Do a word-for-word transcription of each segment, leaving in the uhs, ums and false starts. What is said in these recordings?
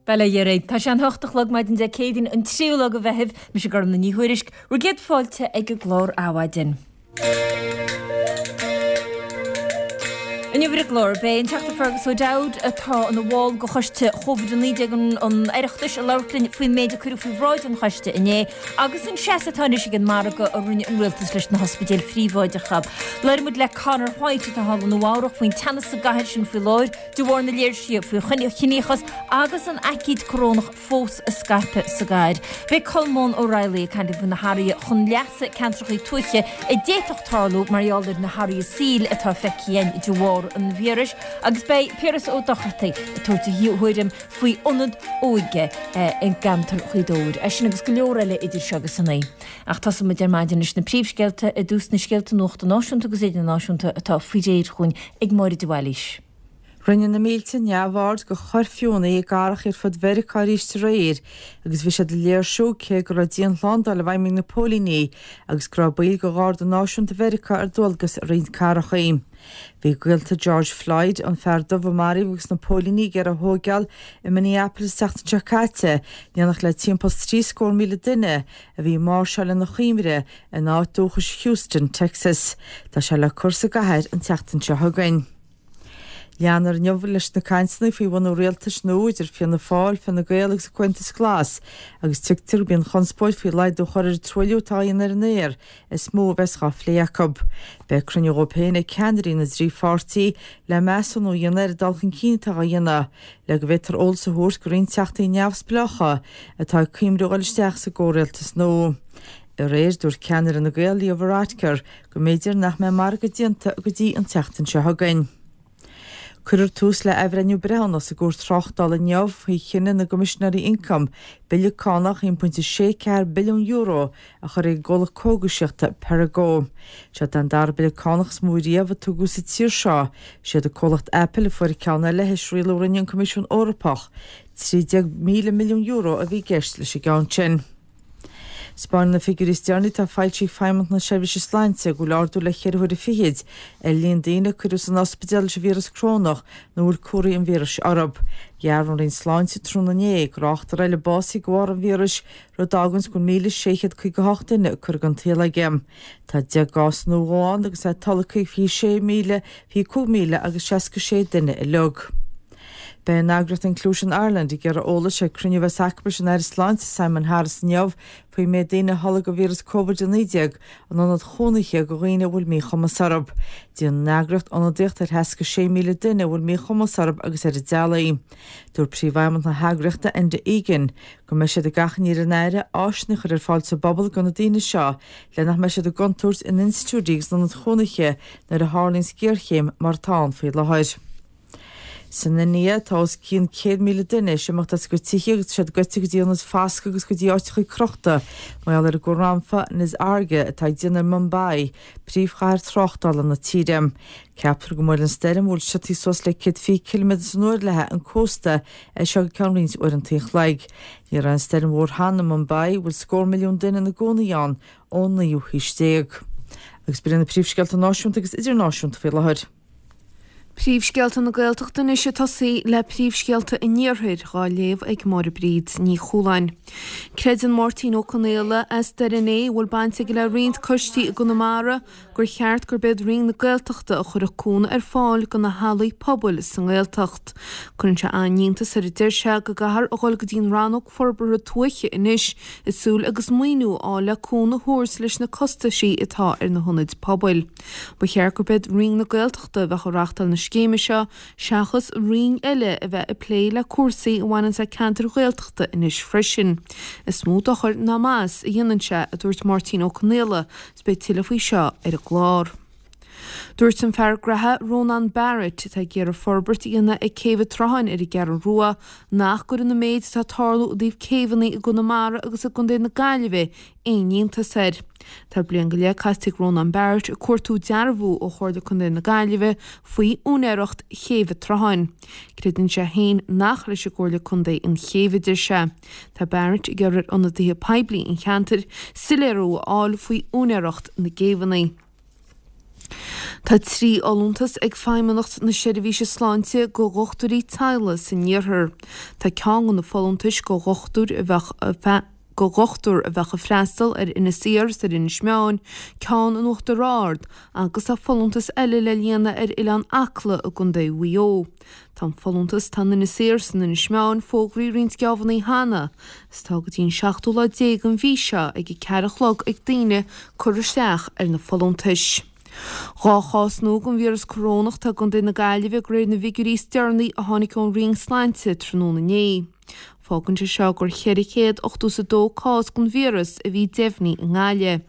Bail ó Dhia oraibh. Tá sé an hocht a chlog maidin Dé Céadaoin an tríú lá de Mheitheamh, mise Gormfhlaith Ní Thuairisg, bhur gcéad fáilte ag an gclár Adhmhaidin. Inniu ar an gclár, beidh an Teachta Fergus O'Dowd, atá ina bhall de choiste Covid a naoi déag an Oireachtais, ag labhairt linn faoin méid a cuireadh faoi bhráid an choiste inné agus an seasamh atá anois ag an margadh a rinne an rialtas leis na hospidéil phríobháideacha. Labhróidh muid le Conor White atá thall i Nua Eabhrac faoin teannas sa gcathair sin faoi láthair de bharr na léirsithe faoi chiníochas agus an aicíd corónach fós ag scaipeadh sa gcathair. Beidh Colmán Ó Raghallaigh ag caint faoi na hathruithe chun leasa ceantracha tuaithe a d'fhéadfadh tarlú mar gheall ar na hathruithe saoil atá feicthe againn de bharr an víris agus beidh Piaras Ó Dochartaigh ag tabhairt a thuairim faoi ionad óige i gceantar Ghaoth Dobhair. É sin agus go leor eile idir seo agus a naoi. Ach tosóidh muid ar maidin leis na príomhscéalta i dtús na scéalta nuachta náisiúnta agus idirnáisiúnta atá faoi réir chugainn ag Máire de Bhailís. Rinne na mílte neamhaird de chuirfiúnna i gcathracha ar fud Mheiriceá arís aréir agus bhí siad ag léirsiú cé go raibh dianshlándáil i bhfeidhm ag na póilíní agus go raibh baill de Gharda Náisiúnta Mheiriceá ar dualgas i roinnt cathracha. Bhí gaolta George Floyd, an fear dubh a maraíodh agus na póilíní ag iarraidh a thóigeáil i Minneapolis an tseachtain seo caite, in éineacht le timpeall is trí scór míle duine a bhí ag máirseáil lena chuimhne ina áit dúchais Houston, Texas. Tá sé le cur sa gcathair an tseachtain seo chugainn. Leanfar inniu leis na cainteanna faoi bhunú rialtais nua idir Fianna Fáil, Fine Gael agus an Comhaontas Glas agus tuigtear gurb í an chonspóid faoi laghdú a chur ar an truailliú atá á dhéanamh ar an aer is mó a bheas dhá phlé acu. Beidh cruinniú dhóibh féin ag ceannairí na dtrí pháirtí le measúnú a dhéanamh ar an dul chun cinn atá á dhéanamh le go bhféadfar eolas a thabhairt do roinnt teachtaí neamhspleácha atá ag cuimhniú dhul isteach sa gcomhrialtas nua. Aréir, dúirt ceannaire Fhine Gael, Leo Varadkar, go mb'fhéidir nach mbeidh margadh déanta go dtí an tseachtain seo chugainn. Cuirfear tús le athbhreithniú breithiúnach sa gCúirt Tráchtála inniu faoi chinneadh na gCoimisinéirí Ioncaim bille cánach aon pointe sé ceathair billiún euro a chur ar an gcomhlacht cógaisíochta Perrigo. Seo an dara bille cánach is mó riamh a tugadh sa tír seo. Siad an comhlacht Apple a fuair an ceann eile théis rialú a rinne an Coimisiún Eorpach. trí déag míle milliún euro a bhí i gceist leis an gceann sin. 'Spáineann na figiúirí is deireanaí atá foilsithe ag Feidhmeannacht na Seirbhíse Sláinte go bhfuil ardú le ceithre huaire fichid ar líon daoine a cuireadh san ospidéal leis an víreas corónach nó a bhfuil comharthaí an víris orthu. Dhearbhaigh an Roinn Sláinte tráthnóna inné go raibh ochtar eile básaithe de bharr an víris, rud a fháganns go bhfuil míle sé chéad caoga a hocht duine curtha den tsaol aige. Tá deich gcás nua ann agus é tolgtha ag fiche sé míle, fiche cúig míle agus seasca sé duine uilig. Beidh an eagraíocht Inclusion Ireland ag iarraidh eolais ag cruinniú a bheas acu leis an Aire Sláinte Simon Harris inniu faoin méid daoine a tholg an víreas Covid a naoi déag in ionaid chónaithe do dhaoine a bhfuil míchumas orthu. Déanann an eagraíocht ionadaíocht ar sheasca sé míle duine a bhfuil míchumas orthu agus ar a dteaghlaigh. Dúirt Príomhfheidhmeannach na heagraíochta Enda Egan go mbeidh siad ag achainí ar an Aire áiseanna a chur ar fáil sa bpobal do na daoine seo le nach mbeidh siad i gcontúirt in institiúidí agus in ionaid chónaithe nuair a tharlaíonns géarchéim mar atá ann faoi láthair. San India, tá os cionn céad míle duine théis imeacht as a gcuid tithe agus tá siad goite go dtí ionaid foscaidh agus go dtí áiteacha crochta mar gheall ar an gcúr anfa Nisarga atá ag déanamh ar Mumbai, príomhchathair tráchtála na tíre. Ceaptar go mbuailfidh an stoirm, a bhfuil siotaí suas le céad fiche ciliméadar san uair léi, an cósta as seo go ceann roinnt uaireanta an chloig. Ní raibh aon stoirm mhór cheana i Mumbai, a bhfuil scór milliún duine ina gcónaí ann, ón naoú haois déag. Agus b'in iad na príomhscéalta náisiúnta agus idirnáisiúnta faoi láthair. Príomhscéalta na Gaeltachta anois ag tosaí le príomhscéalta an Iarthair dhá léamh ag Máire Bríd Ní Chualáin. Creideann Máirtín Ó Conaola as Doire an Fhéich, a bhfuil baint aige le roinnt coistí i gConamara, gur cheart gurb iad Roinn na Gaeltachta a chuirfeadh cúnamh ar fáil do na hallaí pobail sa nGaeltacht. Cuireann sé an-iontas air a deir sé go gcaithfear a dhul go dtí an Rannóg Forbartha Tuaithe anois ag súil agus maoiniú a fháil le cúnamh a thabhairt leis na costaisí atá ar na hionaid pobail. Ba cheart gurb iad Roinn na Gaeltachta a bheadh ag reachtáil na scéime seo seachas roinn eile a bheith ag plé le cúrsaí a bhaineanns le ceantair Ghaeltachta anois freisin. Is mó dochar ná maitheas a dhéanann sé, a dúirt Máirtín Ó Conaola, is beidh tuilleadh faoi seo ar an gclár. Dúirt an fear graithe Rónán Barrett, atá ag iarraidh forbairt a dhéanamh ag Céibh an tSrutháin ar an gCeathrú Rua, nach gcuireann an méid atá ag tarlú i dtaobh céibheanna i gConamara agus i gContae na Gaillimhe aon iontas air. Tá bliain go leith caite ag Rónán Barrett ag cuartú dearbhú ó Chomhairle Contae na Gaillimhe faoi úinéireacht Chéibh an tSrutháin. Creideann sé féin nach leis an gComhairle Contae an chéibh, a deir sé. Tá Barrett ag iarraidh ar ionadaithe poiblí an cheantair soiléiriú a fháil faoi úinéireacht na gcéibheanna. Tá trí fholúntas ag Feidhmeannacht na Seirbhíse Sláinte go dhochtúirí teaghlaigh san iarthar. Tá ceann de na folúntais go dhochtúir a bheadh go dhochtúir a bheadh ag freastal ar Inis Oírr is ar Inis Meáin, ceann in Uachtar Ard agus tá folúntas eile le líonadh ar Oileán Acla i gContae Mhaigh Eo. Tá an folúntas atá in Inis Oírr is in Inis Meáin fógraithe roinnt geábhanna cheana is tá go dtí an seachtú lá déag den mhí seo ag a ceathair a chlog ag daoine cur isteach ar na folúntais. Dhá chás nua den víreas corónach atá i gContae na Gaillimhe de réir na bhfigiúirí is deireanaí a tháinig ón Roinn Sláinte tráthnóna inné. Fágann sé seo gur cheithre chéad ochtó is a dó cás den víreas a bhí deimhnithe i nGaillimh,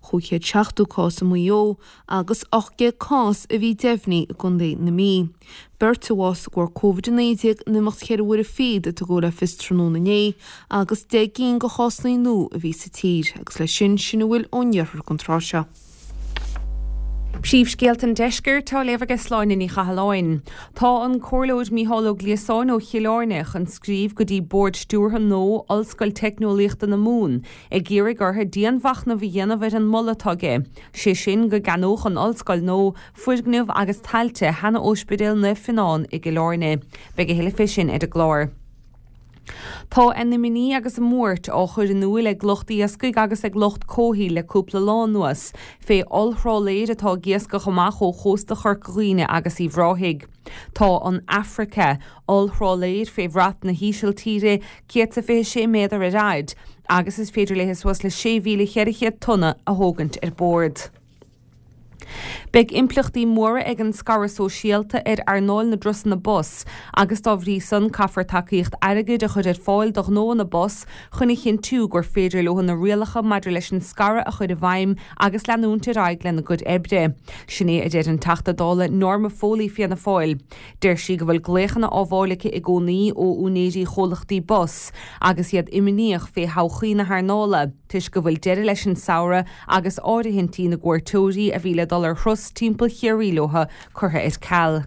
chúig chéad seachtó cás i Maigh Eo agus ocht gcéad cás a bhí deimhnithe i gContae na Mí. Beirt a bhásaigh de bharr Covid a naoi déag in imeacht cheithre huaire fichead a tugadh le fios tráthnóna inné agus deich gcinn de chásanna nua a bhí sa tír agus leis sin sin a bhfuil ón iarthar don tráth seo. Príomhscéalta an Deiscirt á léamh ag Sláine Ní Chathalláin. Tá an Comhairleoir Mícheál Ó Gliasáin ó Chill Airne chun scríobh go dtí Bord Stiúrtha nua Ollscoil Teicneolaíochta na Mumhan ag iarraidh orthu dianmhachnamh a dhéanamh ar an moladh atá aige, sé sin go gceannódh an ollscoil nua foirgneamh agus tailte sheana-Ospidéal Naomh Fionnán i gCill Airne. Beidh a thuilleadh fé sin ar an gclár. Tá a n-imní agus a mbuairt á chur in iúl ag lucht iascaigh agus ag lucht comhshaoil le cúpla lá anuas, fé ollthrálaeir atá ag iascach amach ó chósta Chorca Dhuibhne agus Uíbh Ráthaigh. Tá an Africa, ollthrálaeir fé bhrat na hÍsiltíre, céad is fiche sé méadar ar fhaid, agus is féidir léi suas le sé mhíle cheithre chéad tonna a thógaint ar bord. Beidh impleachtaí móra ag an scaradh sóisialta ar earnáil na dturasanna bus agus dá bhrí san caithfear tacaíocht airgid a chur ar fáil do ghnóanna bus chun a chinntiú gur féidir leo na rialacha maidir leis an scaradh a chur i bhfeidhm agus leanúint ar aghaidh lena gcuid oibre. Sin é a deir an Teachta Dála Norma Foley Fianna Fáil. Deir sí go bhfuil glaochanna á bhfáil aici i gcónaí ó úinéirí chomhlachtaí bus agus iad imníoch fé thodhchaí na hearnála, toisc go bhfuil deireadh leis an samhradh agus áirithintí na gcuairteoirí a bhí le dul ar thuras timpeall Chiarraí leo curtha ar ceal.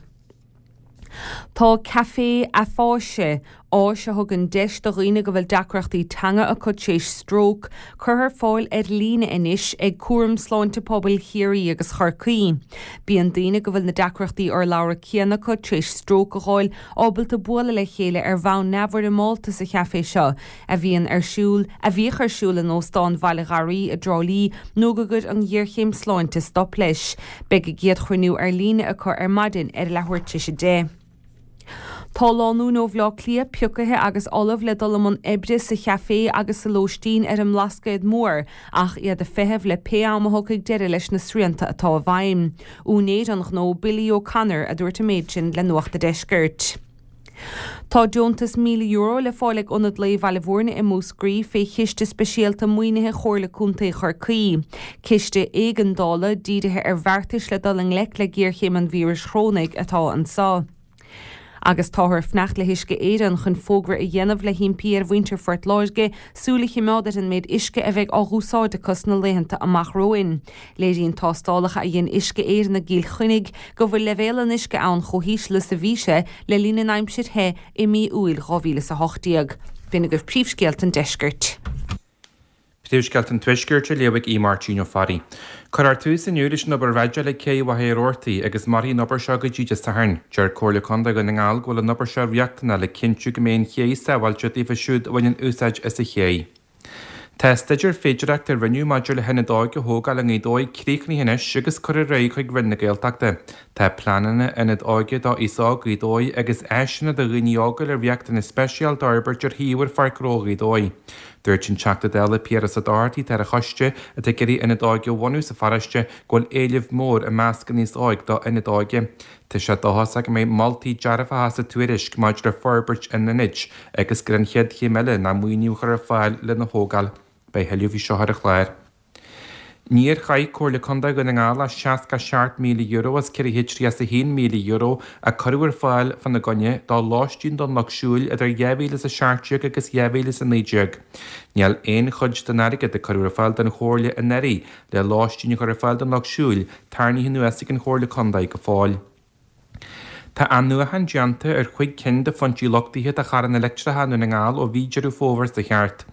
Tá Café Afáise, áis a thugann deis do dhaoine go bhfuil deacrachtaí teanga acu tar éis stróc, curtha ar fáil ar líne anois ag Cúram Sláinte Pobail Chiarraí agus Chorcaí. Bíonn daoine go bhfuil na deacrachtaí urlabhra céanna acu tar éis stróc a fháil ábalta bualadh le chéile ar bhonn neamhfhoirmeálta sa chaifé seo, a bhíonn ar siúl a bhíodh ar siúl in Óstán Bhaile Gharraí i dTrá Lí nó go gcuir an ghéarchéim sláinte stop leis. Beidh a gcéad chruinniú ar líne acu ar maidin ar leathuair tar éis a deich. Tá lánúin ó Bhaile Átha Cliath pioctha agus ullamh le dul i mbun oibre sa chaifé agus sa lóistín ar an mBlascaod Mór, ach iad ag feitheamh le pé am a thiocfaidh deireadh leis na srianta atá i bhfeidhm. Úinéir an ghnó Billy O'Connor a dúirt an méid sin le Nuacht an Deiscirt. Tá deontas míle euro le fáil ag Ionad Lae Bhaile Bhúirne i Múscraí fé chiste speisialta maoinithe Chomhairle Contae Chorcaí. Ciste éigeandála dírithe ar bheartais le dul i ngleic le géarchéim an víris chorónaigh atá anseo. Agus táthar ag fanacht le hUisce Éireann chun fógra a dhéanamh le himpí ar mhuintir Phort Láirge súil a choimeád ar an méid uisce a bheidh á úsáid acu sna laethanta amach romhainn. Léiríonn tástálacha a dhein Uisce Éireann i gCill Chainnigh go bhfuil leibhéal an uisce ann chomh híseal is a bhí sé le linn an aimsir the i mí Iúil dhá mhíle is a hocht déag. B'in agaibh príomhscéalta an deiscirt. Príomhscéalta an Tuaiscirt á léamh ag Aodh Máirtín Ó Fearraigh. Cuirfear tús inniu leis an obair dreideála ag cé Mhachaire Rabhartaigh agus mairfidh an obair seo go dtí Dé Sathairn. Deir Comhairle Contae Dhún na nGall go bhfuil an obair seo riachtanach le cinntiú go mbeidh an ché sábháilte daofa siúd a bhaineann úsáid as an ché. Tá staidéar féidearthachta a rinneadh maidir le hionad óige a thógáil i nGaoth Dobhair críochnaithe anois agus curtha ar aghaidh chuig Roinn na Gaeltachta. Tá pleananna ionad óige do aos óg Ghaoth Dobhair agus áiseanna do dhaoine óga le riachtanais speisialta a fhorbairt ar shuíomh ar Pháirc Ghnó Ghaoth Dobhair. Dúirt an Teachta Dála Piaras Ó Dochartaigh atá ar an choiste atá ag iarraidh ionad óige a bhunú sa pharóiste go bhfuil éileamh mór i measc an aos óig do ionad óige. Tá sé dóchasach go mbeidh moltaí dearfacha sa tuairisc maidir le forbairt an ionaid agus gur an chéad chéim eile ná maoiniú a chur ar fáil lena thógáil. Beidh thuilleadh faoi seo ar an chlár. Níor chaith Comhairle Contae Dhún na nGall ach seasca seacht míle euro as ceithre chéad tríocha a haon míle euro a cuireadh ar fáil fána gcoinne do lóistín don lucht siúil idir dhá mhíle is a seacht déag agus dhá mhíle is a naoi déag. Níl aon chuid den airgead a cuireadh ar fáil don Chomhairle anuraidh le lóistín a chur ar fáil don lucht siúil tarraingthe anuas ag an Chomhairle Contae go fóill. Tá athnuachan déanta ar chúig cinn de phointí luchtaithe do charranna leictreacha i nDún na nGall ó mhí Deireadh Fómhair seo thart.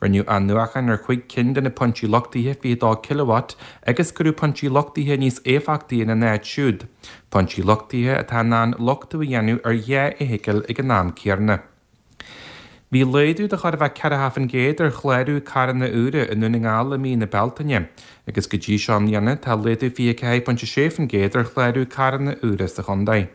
Rinneadh athnuachan ar chúig cinn de na pointí luchtaithe fiche dó kilowatt agus cuireadh pointí luchtaithe níos éifeachtaí ina n-áit siúd, pointí luchtaithe atá in ann luchtú a dhéanamh ar dhá fheithicil ag an am céanna. Bhí laghdú de chóir a bheith ceathracha faoin gcéad ar chlárú carranna úra i nDún na nGall i mí na Bealtaine, agus go dtí seo i mbliana tá laghdú fiche ceathair pointe sé faoin gcéad ar chlárú carranna úra sa chontae.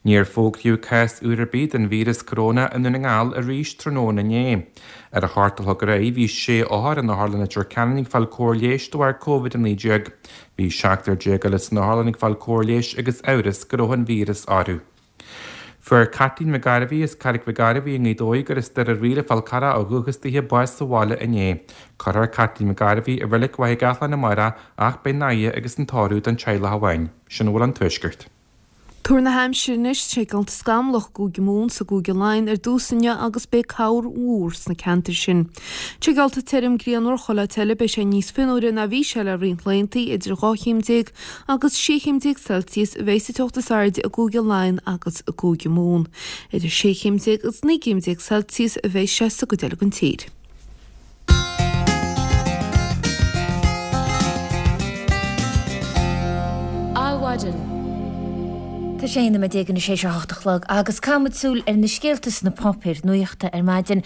Níor fógraíodh cás úr ar bith den víreas coróna i nDún na nGall arís tráthnóna inné. Ar a hocht a chlog aréir bhí sé othar in Otharlann Leitir Ceanainn ag fáil cóir leighis de bharr Covid a naoi déag. Bhí seachtar déag eile san otharlann ag fáil cóir leighis agus amhras go raibh an víreas orthu. Fuair Caitlín Mhic Gairbhí as Carraig Mhic Gairbhí i nGaoth Dobhair gur as Doire Mhaoile Fál Carrach ó dhúchas daoithe bás sa bhaile inné. Cuirfear Caitlín Mhic Gairbhí i Reilig Mhachaire Gathlán amárach ach beidh an fhaire agus an tórramh don teaghlach amháin. Sin a bhfuil ón Tuaisceart. Tuar na haimsire anois, sé geallta scamallach i gCúige Mumhan 's i gCúige Laighean ar dtús inniu agus beidh corr mhór sna ceantair sin. Sé geallta tirim grianmhar chuile áit eile beidh sé níos fionnuaire ná bhí sé le roinnt laethanta, idir dhá chéim déag agus sé chéim déag Celsius a bheidh sa teocht is airde i gCúige Laighean agus i gCúige Mumhan. Idir sé chéim déag agus naoi gcéim déag Celsius a bheidh sé sa gcuid eile den tír. Adhmhaidin. Tá sé aon nóiméad déag anois théis a hocht a chlog agus caithfimid súil ar na scéalta sna páipéir nuachta ar maidin.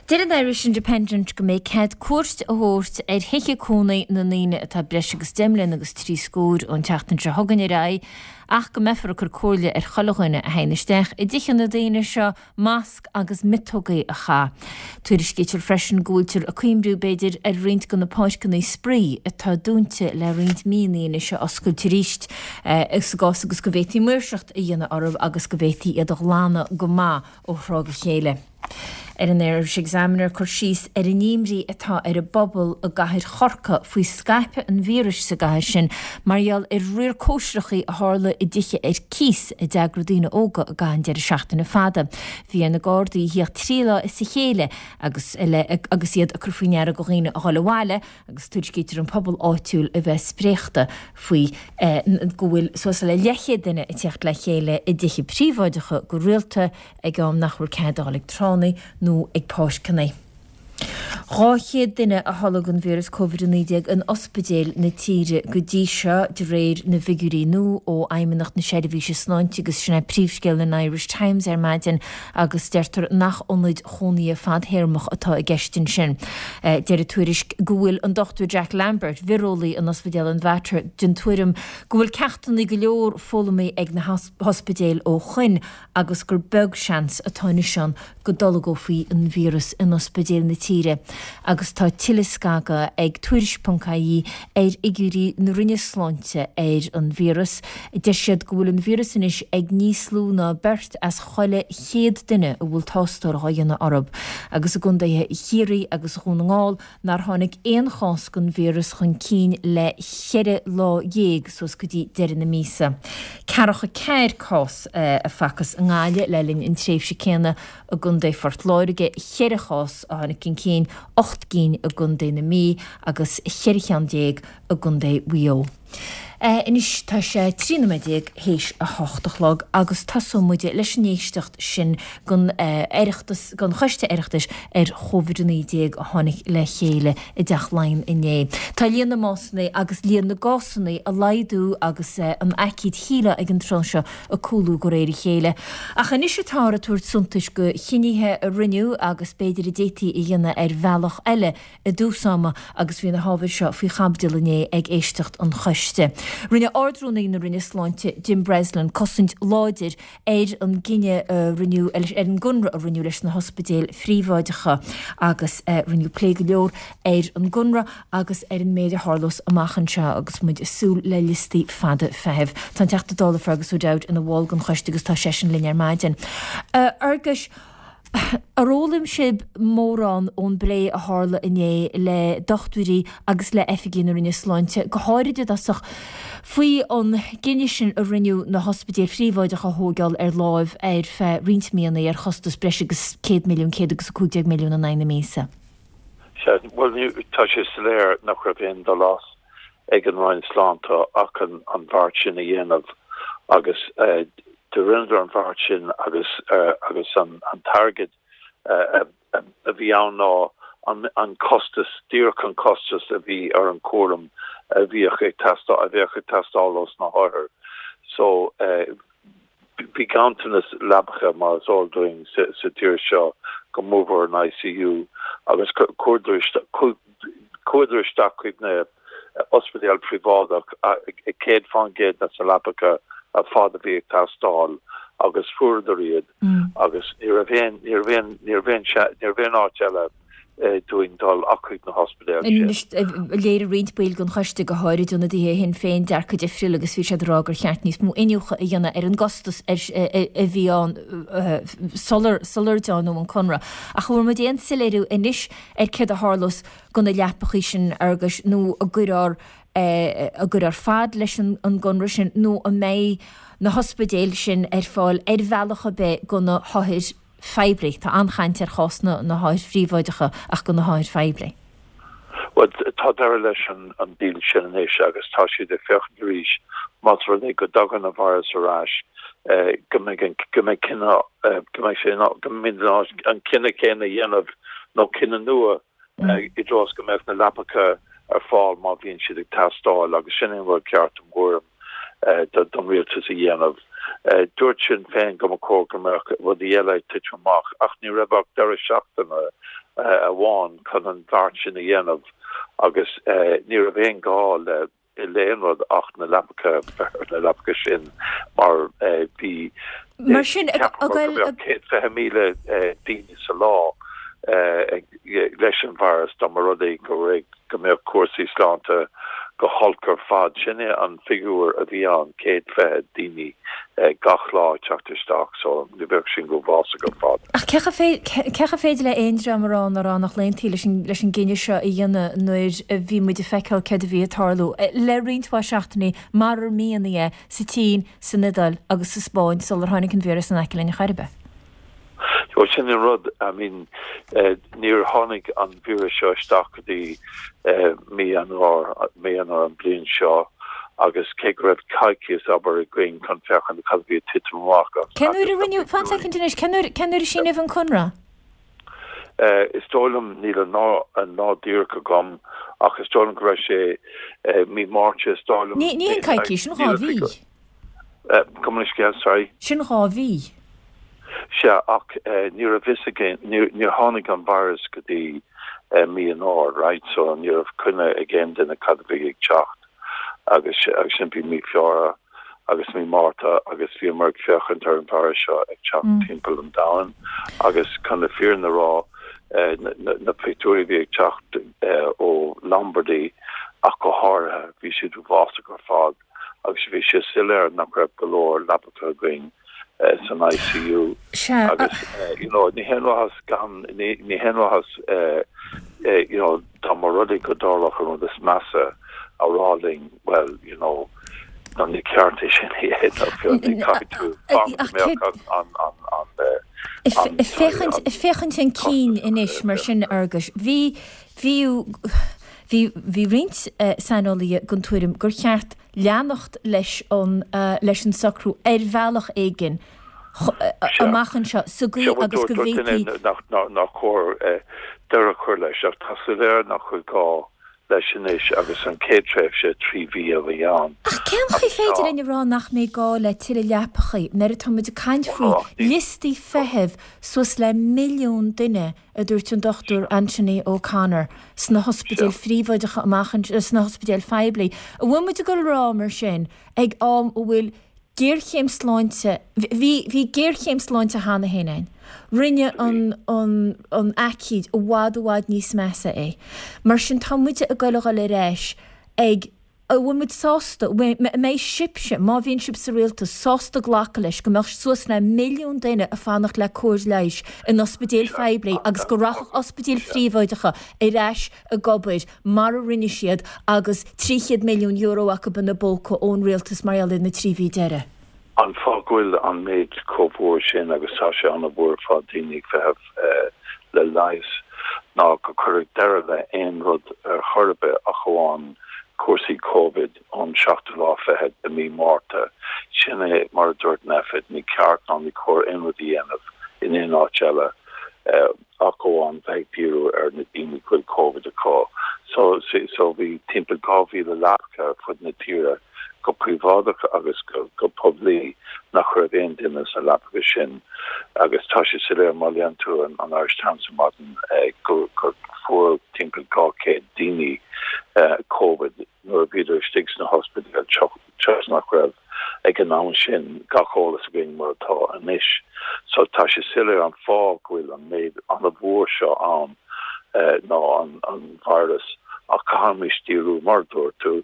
Deir an Irish Independent go mbeidh cead cuairt a thabhairt ar thithe cónaí na ndaoine atá breis agus deich mbliana agus trí scór ón tseachtain seo chugainn ar aghaidh ach go mbeifear ag cur comhairle ar chuile dhuine a théann isteach i dtithe na daoine seo masc agus miotógaí a chaith. Tuairiscítear freisin go bhfuiltear ag cuimhniú, b'fhéidir, ar roinnt de na páirceanna spraoi atá dúnta le roinnt míonna anois a oscailt arís sa gcás agus go bhféadfaí maoirseacht a dhéanamh orthu agus go bhféadfaí iad a ghlanadh go maith ó thráth go chéile. Ar an Irish Examiner cur síos ar an imní atá ar an bpobal i gcathair Chorcaí faoi scaipeadh an víris sa gcathair sin mar gheall ar riar cóisireachaí a tharla i dtithe ar cíos a d'eagraigh daoine óga i gcaitheamh an deireadh seachtaine fada. Bhí ar na Gardaí a thíocht trí lá as a chéile agus agus iad ag cur faoi ndeara do dhaoine a dhul abhaile agus tuairiscítear an pobal áitiúil a bheith spréachta faoi go bhfuil suas le leathchéad duine ag tíocht le chéile i dtithe príobháideacha go rialta ag am nach bhfuil cead a dhul ag tránna nó ag páirceanna. Dhá chéad duine a tholg an víreas Covid a naoi déag in ospidéil na tíre go dtí seo, de réir na bhfigiúirí nua ó Fheidhmeannacht na Seirbhíse Sláinte agus sin é príomhscéal an Irish Times ar maidin agus deirtear nach ionaid chónaithe fadthéarmach atá i gceist ansin. Deir an tuairisc go bhfuil an Dochtúir Jack Lambert, vireolaí in Ospidéal an Mhater, den tuairim go bhfuil ceachtanna go leor foghlamtha ag na hospidéil ó shoin agus gur beag seans atá anois ann go dtolgófaí an víreas in ospidéil na tíre agus tá tuilleadh scagadh ag Tuairisc ponc ie ar fhigiúirí na Roinne Sláinte ar an víreas. Deir siad go bhfuil an víreas anois ag níos lú ná beirt as chuile chéad duine a bhfuil tástáil á dhéanamh orthu agus i gcontaetha Chiarraí agus Dhún na nGall nár tháinig aon chás den víreas chun cinn le ceithre lá dhéag suas go dtí deireadh na míosa. Ceathracha ceathair cás a facthas i nGaillimh le linn an tréimhse céanna, i gContae Phort Láirge, ceithre chás a tháinig chun cinn, ocht gcinn i gContae na Mí agus cheithre cheann déag i gContae Mhaigh Eo. Anois tá sé trí nóiméad déag théis a hocht a chlog agus tosóidh muid leis an éisteacht sin den Oireachtas, den Choiste Oireachtais ar Chóivid a naoi déag a tháinig le chéile i dTeach Laighean inné. Tá líon na mbásanna agus líon na gcásanna ag laghdú agus an aicíd shíleá ag an tráth seo ag cúlú de réir a chéile. Ach anois atáthar ag tabhairt suntais do chinnithe a rinneadh agus b'fhéidir a d'fhéadfaí a dhéanamh ar bhealach eile i dtús ama agus bhí na hábhair seo faoi chaibidil inné ag éisteacht an choiste. Rinne Ard-Rúnaí na Roinne Sláinte, Jim Breslin, cosaint láidir ar an gcinneadh a rinneadh, ar an gconradh a rinneadh leis na hospidéil phríobháideacha agus rinneadh plé go leor ar an gconradh agus ar an méid a tharlós amach anseo agus muid ag súil le liostaí fada feithimh. Tá an Teachta Dála Fergus O'Dowd ina bhall den choiste agus tá seisean linn ar maidin. A Fherguis, ar fhoghlaim sibh mórán ón bplé a tharla inné le dochtúirí agus le oifigigh na Roinne Sláinte, go háirid i dtosach faoi an gcinneadh sin a rinneadh na hospidéil phríobháideacha a thóigeáil ar láimh ar feadh roinnt míonna ar chostas breis agus céad milliún, céad agus a cúig déag milliún in aghaidh na míosa? Sea, bhuel, tá sé soiléir nach raibh aon dul as ag an Roinn Sláinte ach an beart sin a dhéanamh agus Do rinneadar an bheart sin agus agus an an t-airgead a bhí ann ná an an costas, díreach an costas a bhí ar an cúram a bhíodh ag teastáil, a bheadh ag teastáil ós na hothair. So bhí ganntanas leapacha mar is eol dúinn sa sa tír seo, go mórmhór an I C U, agus chuadar chuadar isteach chuig na ospidéal príobháideach céad faoin gcéad de na leapacha ar fad a bhí ag teastáil agus fuaireadar iad agus ní raibh aon ní raibh aon ní raibh aon ní raibh aon áit eile dúinn dul ach chuig na hospidéil sin. Léirigh roinnt baill den choiste, go háirid ionadaithe Shinn Féin, dearcadh difriúil agus bhí siad ag rá gur cheart níos mó iniúchadh a dhéanamh ar an gcostas a bhí ann sular sular deonaíodh an conradh. Ach an bhfuair muid aon soiléiriú anois ar céard a tharlós do na leapachaí sin, Fhearghuis, nó an gcuirfear an gcuirfear fad leis an gconradh sin nó an mbeidh na hospidéil sin ar fáil ar bhealach ar bith do na hothair phoiblí? Tá an-chaint ar chás na na hothair phríobháideacha ach do na hothair phoiblí. Well, tá deireadh leis an an deal sin anois agus tá siad ag féachaint arís más rud é go dtagann an virus ar ais go mbeidh an go mbeidh cinneadh go mbeidh sé go mbeidh an cinneadh céanna a dhéanamh nó cinneadh nua i dtreo go mbeadh na leapacha ar fáil má bhíonn siad ag teastáil agus sin an rud ceart im thuairim don rialtas a dhéanamh. Dúirt Sinn Féin go mba chóir go mbeadh rudaí eile ag titim amach ach ní raibh ach deireadh seachtaine amháin chun an bheart sin a dhéanamh agus ní raibh aon gá le le aon rud ach na leapacha na leapacha sin mar bhí Mar sin céad fiche míle daoine sa lá leis an virus dá mba rud é go go mbeadh cúrsaí sláinte go holc ar fad. Sin é an figiúr a bhí ann, céad fiche daoine gach lá teacht isteach, so ní bheadh sin go uafásach ar fad. Ach cé chomh féidir le aon dream a rá ná rá nach n-aontaí leis leis an gcinneadh seo a dhéanamh nuair a bhí muid ag feiceáil céard a bhí ag tarlú le roinnt mhaith seachtainí mar ar mianaí é sa tSín, san Iodáil agus sa Spáinn sular tháinig an víreas in aice linn ar chor ar bith. Well, sin an rud, I mean níor tháinig an víreas seo isteach go dtí mí Eanáir mí Eanáir an bliain seo agus cé go raibh coicís obair againn chun féachaint cad a bhí ag titim amach agus Cén uair a rinneadh, fan soicind anois, cén uair cén uair a síníodh an conradh? Is dóigh liom, níl an lá an lá díreach agam ach is dóigh liom go raibh sé mí Márta, is dóigh liom. Ní ní an coicís, sin dhá mhí. Gabh mo leithscéal, sorry. Sin dhá mhí. Sea, ach ní raibh fhios againn, níor tháinig an virus go dtí mí Eanáir, right, so ní raibh coinne ag aon duine cad a bhí ag teacht agus agus sin bhí mí Feabhra agus mí Márta agus bhíomar ag féachaint ar an virus seo ag teacht timpeall an domhain agus chun na fírinne a rá na pictiúirí a bhí ag teacht ó Lombardy ach go háirithe, bhí siad uafásach ar fad agus bhí sé soiléir nach raibh go leor leapacha againn san I C U agus you know ní haon mhaitheas gan ní haon mhaitheas you know dá mba rud é go dtarlódh an rud is measa a rá linn, well, you know ná ní ceart é sin a dhéanamh, caithfidh tú fanacht go mbeadh an an an an Féachaint féachaint chun cinn anois mar sin, Fhearghuis, bhí bhí bhí bhí roinnt saineolaithe den tuairim gur cheart leanacht leis an leis an socrú ar bhealach éigin amach anseo sa gcaoi agus go bhféadfaí nach chóir deireadh a chur leis ach tá soiléir nach bhfuil gá leis anois agus an chéad tréimhse trí mhí a bhí ann. Ach cén chaoi féidir linn a rá nach mbeidh gá le tuilleadh leapachaí nuair atá muid ag caint faoi liostaí feithimh suas le milliún duine, a dúirt an Dochtúir Anthony O'Connor, sna hospidéil phríobháideacha amach sna hospidéil phoiblí? An bhfuil muid ag dul a rá mar sin ag am a bhfuil géarchéim sláinte, bhí bhí géarchéim sláinte cheana féin ann. Rinne an an an aicíd i bhfad i bhfad níos measa é. Mar sin tá muid ag dul a dhul ar ais ag an bhfuil muid sásta, mbeidh sibhse, má bhíonn sibh sa rialtas, sásta glacadh leis go mbeadh suas le milliún duine ag fanacht le cóir leighis in ospidéil phoiblí agus go rachadh ospidéil phríobháideacha ar ais ag obair mar a rinne siad agus trí chéad milliún euro acu ina bpóca ón rialtas mar gheall ar na trí mhí deiridh? An fáth go bhfuil an méid chomh mhór sin, agus tá sé an-mhór ar fad, daoine ag feitheamh le leigheas ná go cuireadh deireadh le aon rud ar chor ar bith ach amháin cúrsaí Covid ón seachtú lá fichead de mí Márta. Sin é mar a dúirt Nphet, ní ceart ná ní cóir aon rud a dhéanamh in aon áit eile ach amháin bheith ag díriú ar na daoine go bhfuil Covid acu. So so bhí timpeall dhá mhíle leapacha ar fud na tíre go príobháideach agus go go poiblí nach raibh aon duine sna leapacha sin agus tá sé soiléir má léann tú an an Irish Times ar maidin go gur fuair timpeall dhá chéad daoine Covid nuair a bhíodar istigh sna hospidéil toisc nach raibh ag an am sin gach eolas againn mar atá anois. So tá sé soiléir an fáth go bhfuil an méid an-mhór seo ann ná an an virus ach caithfimid díriú mar a dúirt tú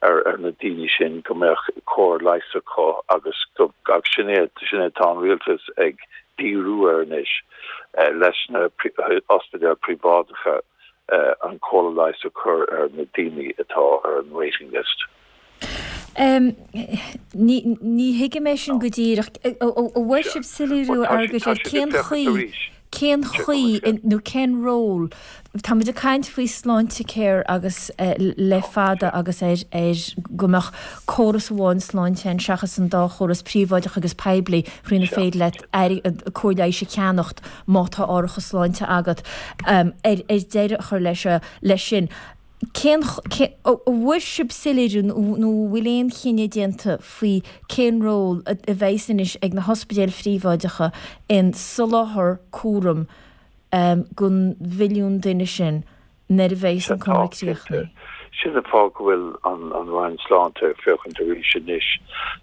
ar ar na daoine sin go mbeadh cóir leighis acu agus go agus sin é sin é tá an rialtas ag díriú air anois leis na ospidéil príobháideacha an chóir leighis a chur ar na daoine atá ar an waiting list. Ní thuigim é sin go díreach. An bhfuil sibh soiléiriú agus ar cén chaoi, cén chaoi nó cén ról, táimid ag caint faoi Sláintecare agus le fada agus ar ar go mbeadh córas amháin sláinte ann seachas an dá chóras príobháideach agus poiblí faoinar féidir leat cóir leighis a cheannacht má tá árachas sláinte agat ar ar deireadh a chur leis leis sin. Cén an bhfuair sibh soiléiriú nó an bhfuil aon chinneadh déanta faoi cén ról a bheas anois ag na hospidéil phríobháideacha in soláthar cúraim don mhilliún duine sin nuair a bheas an conradh críochnaithe? Sin an fáth go bhfuil an Roinn Sláinte ag féachaint arís anois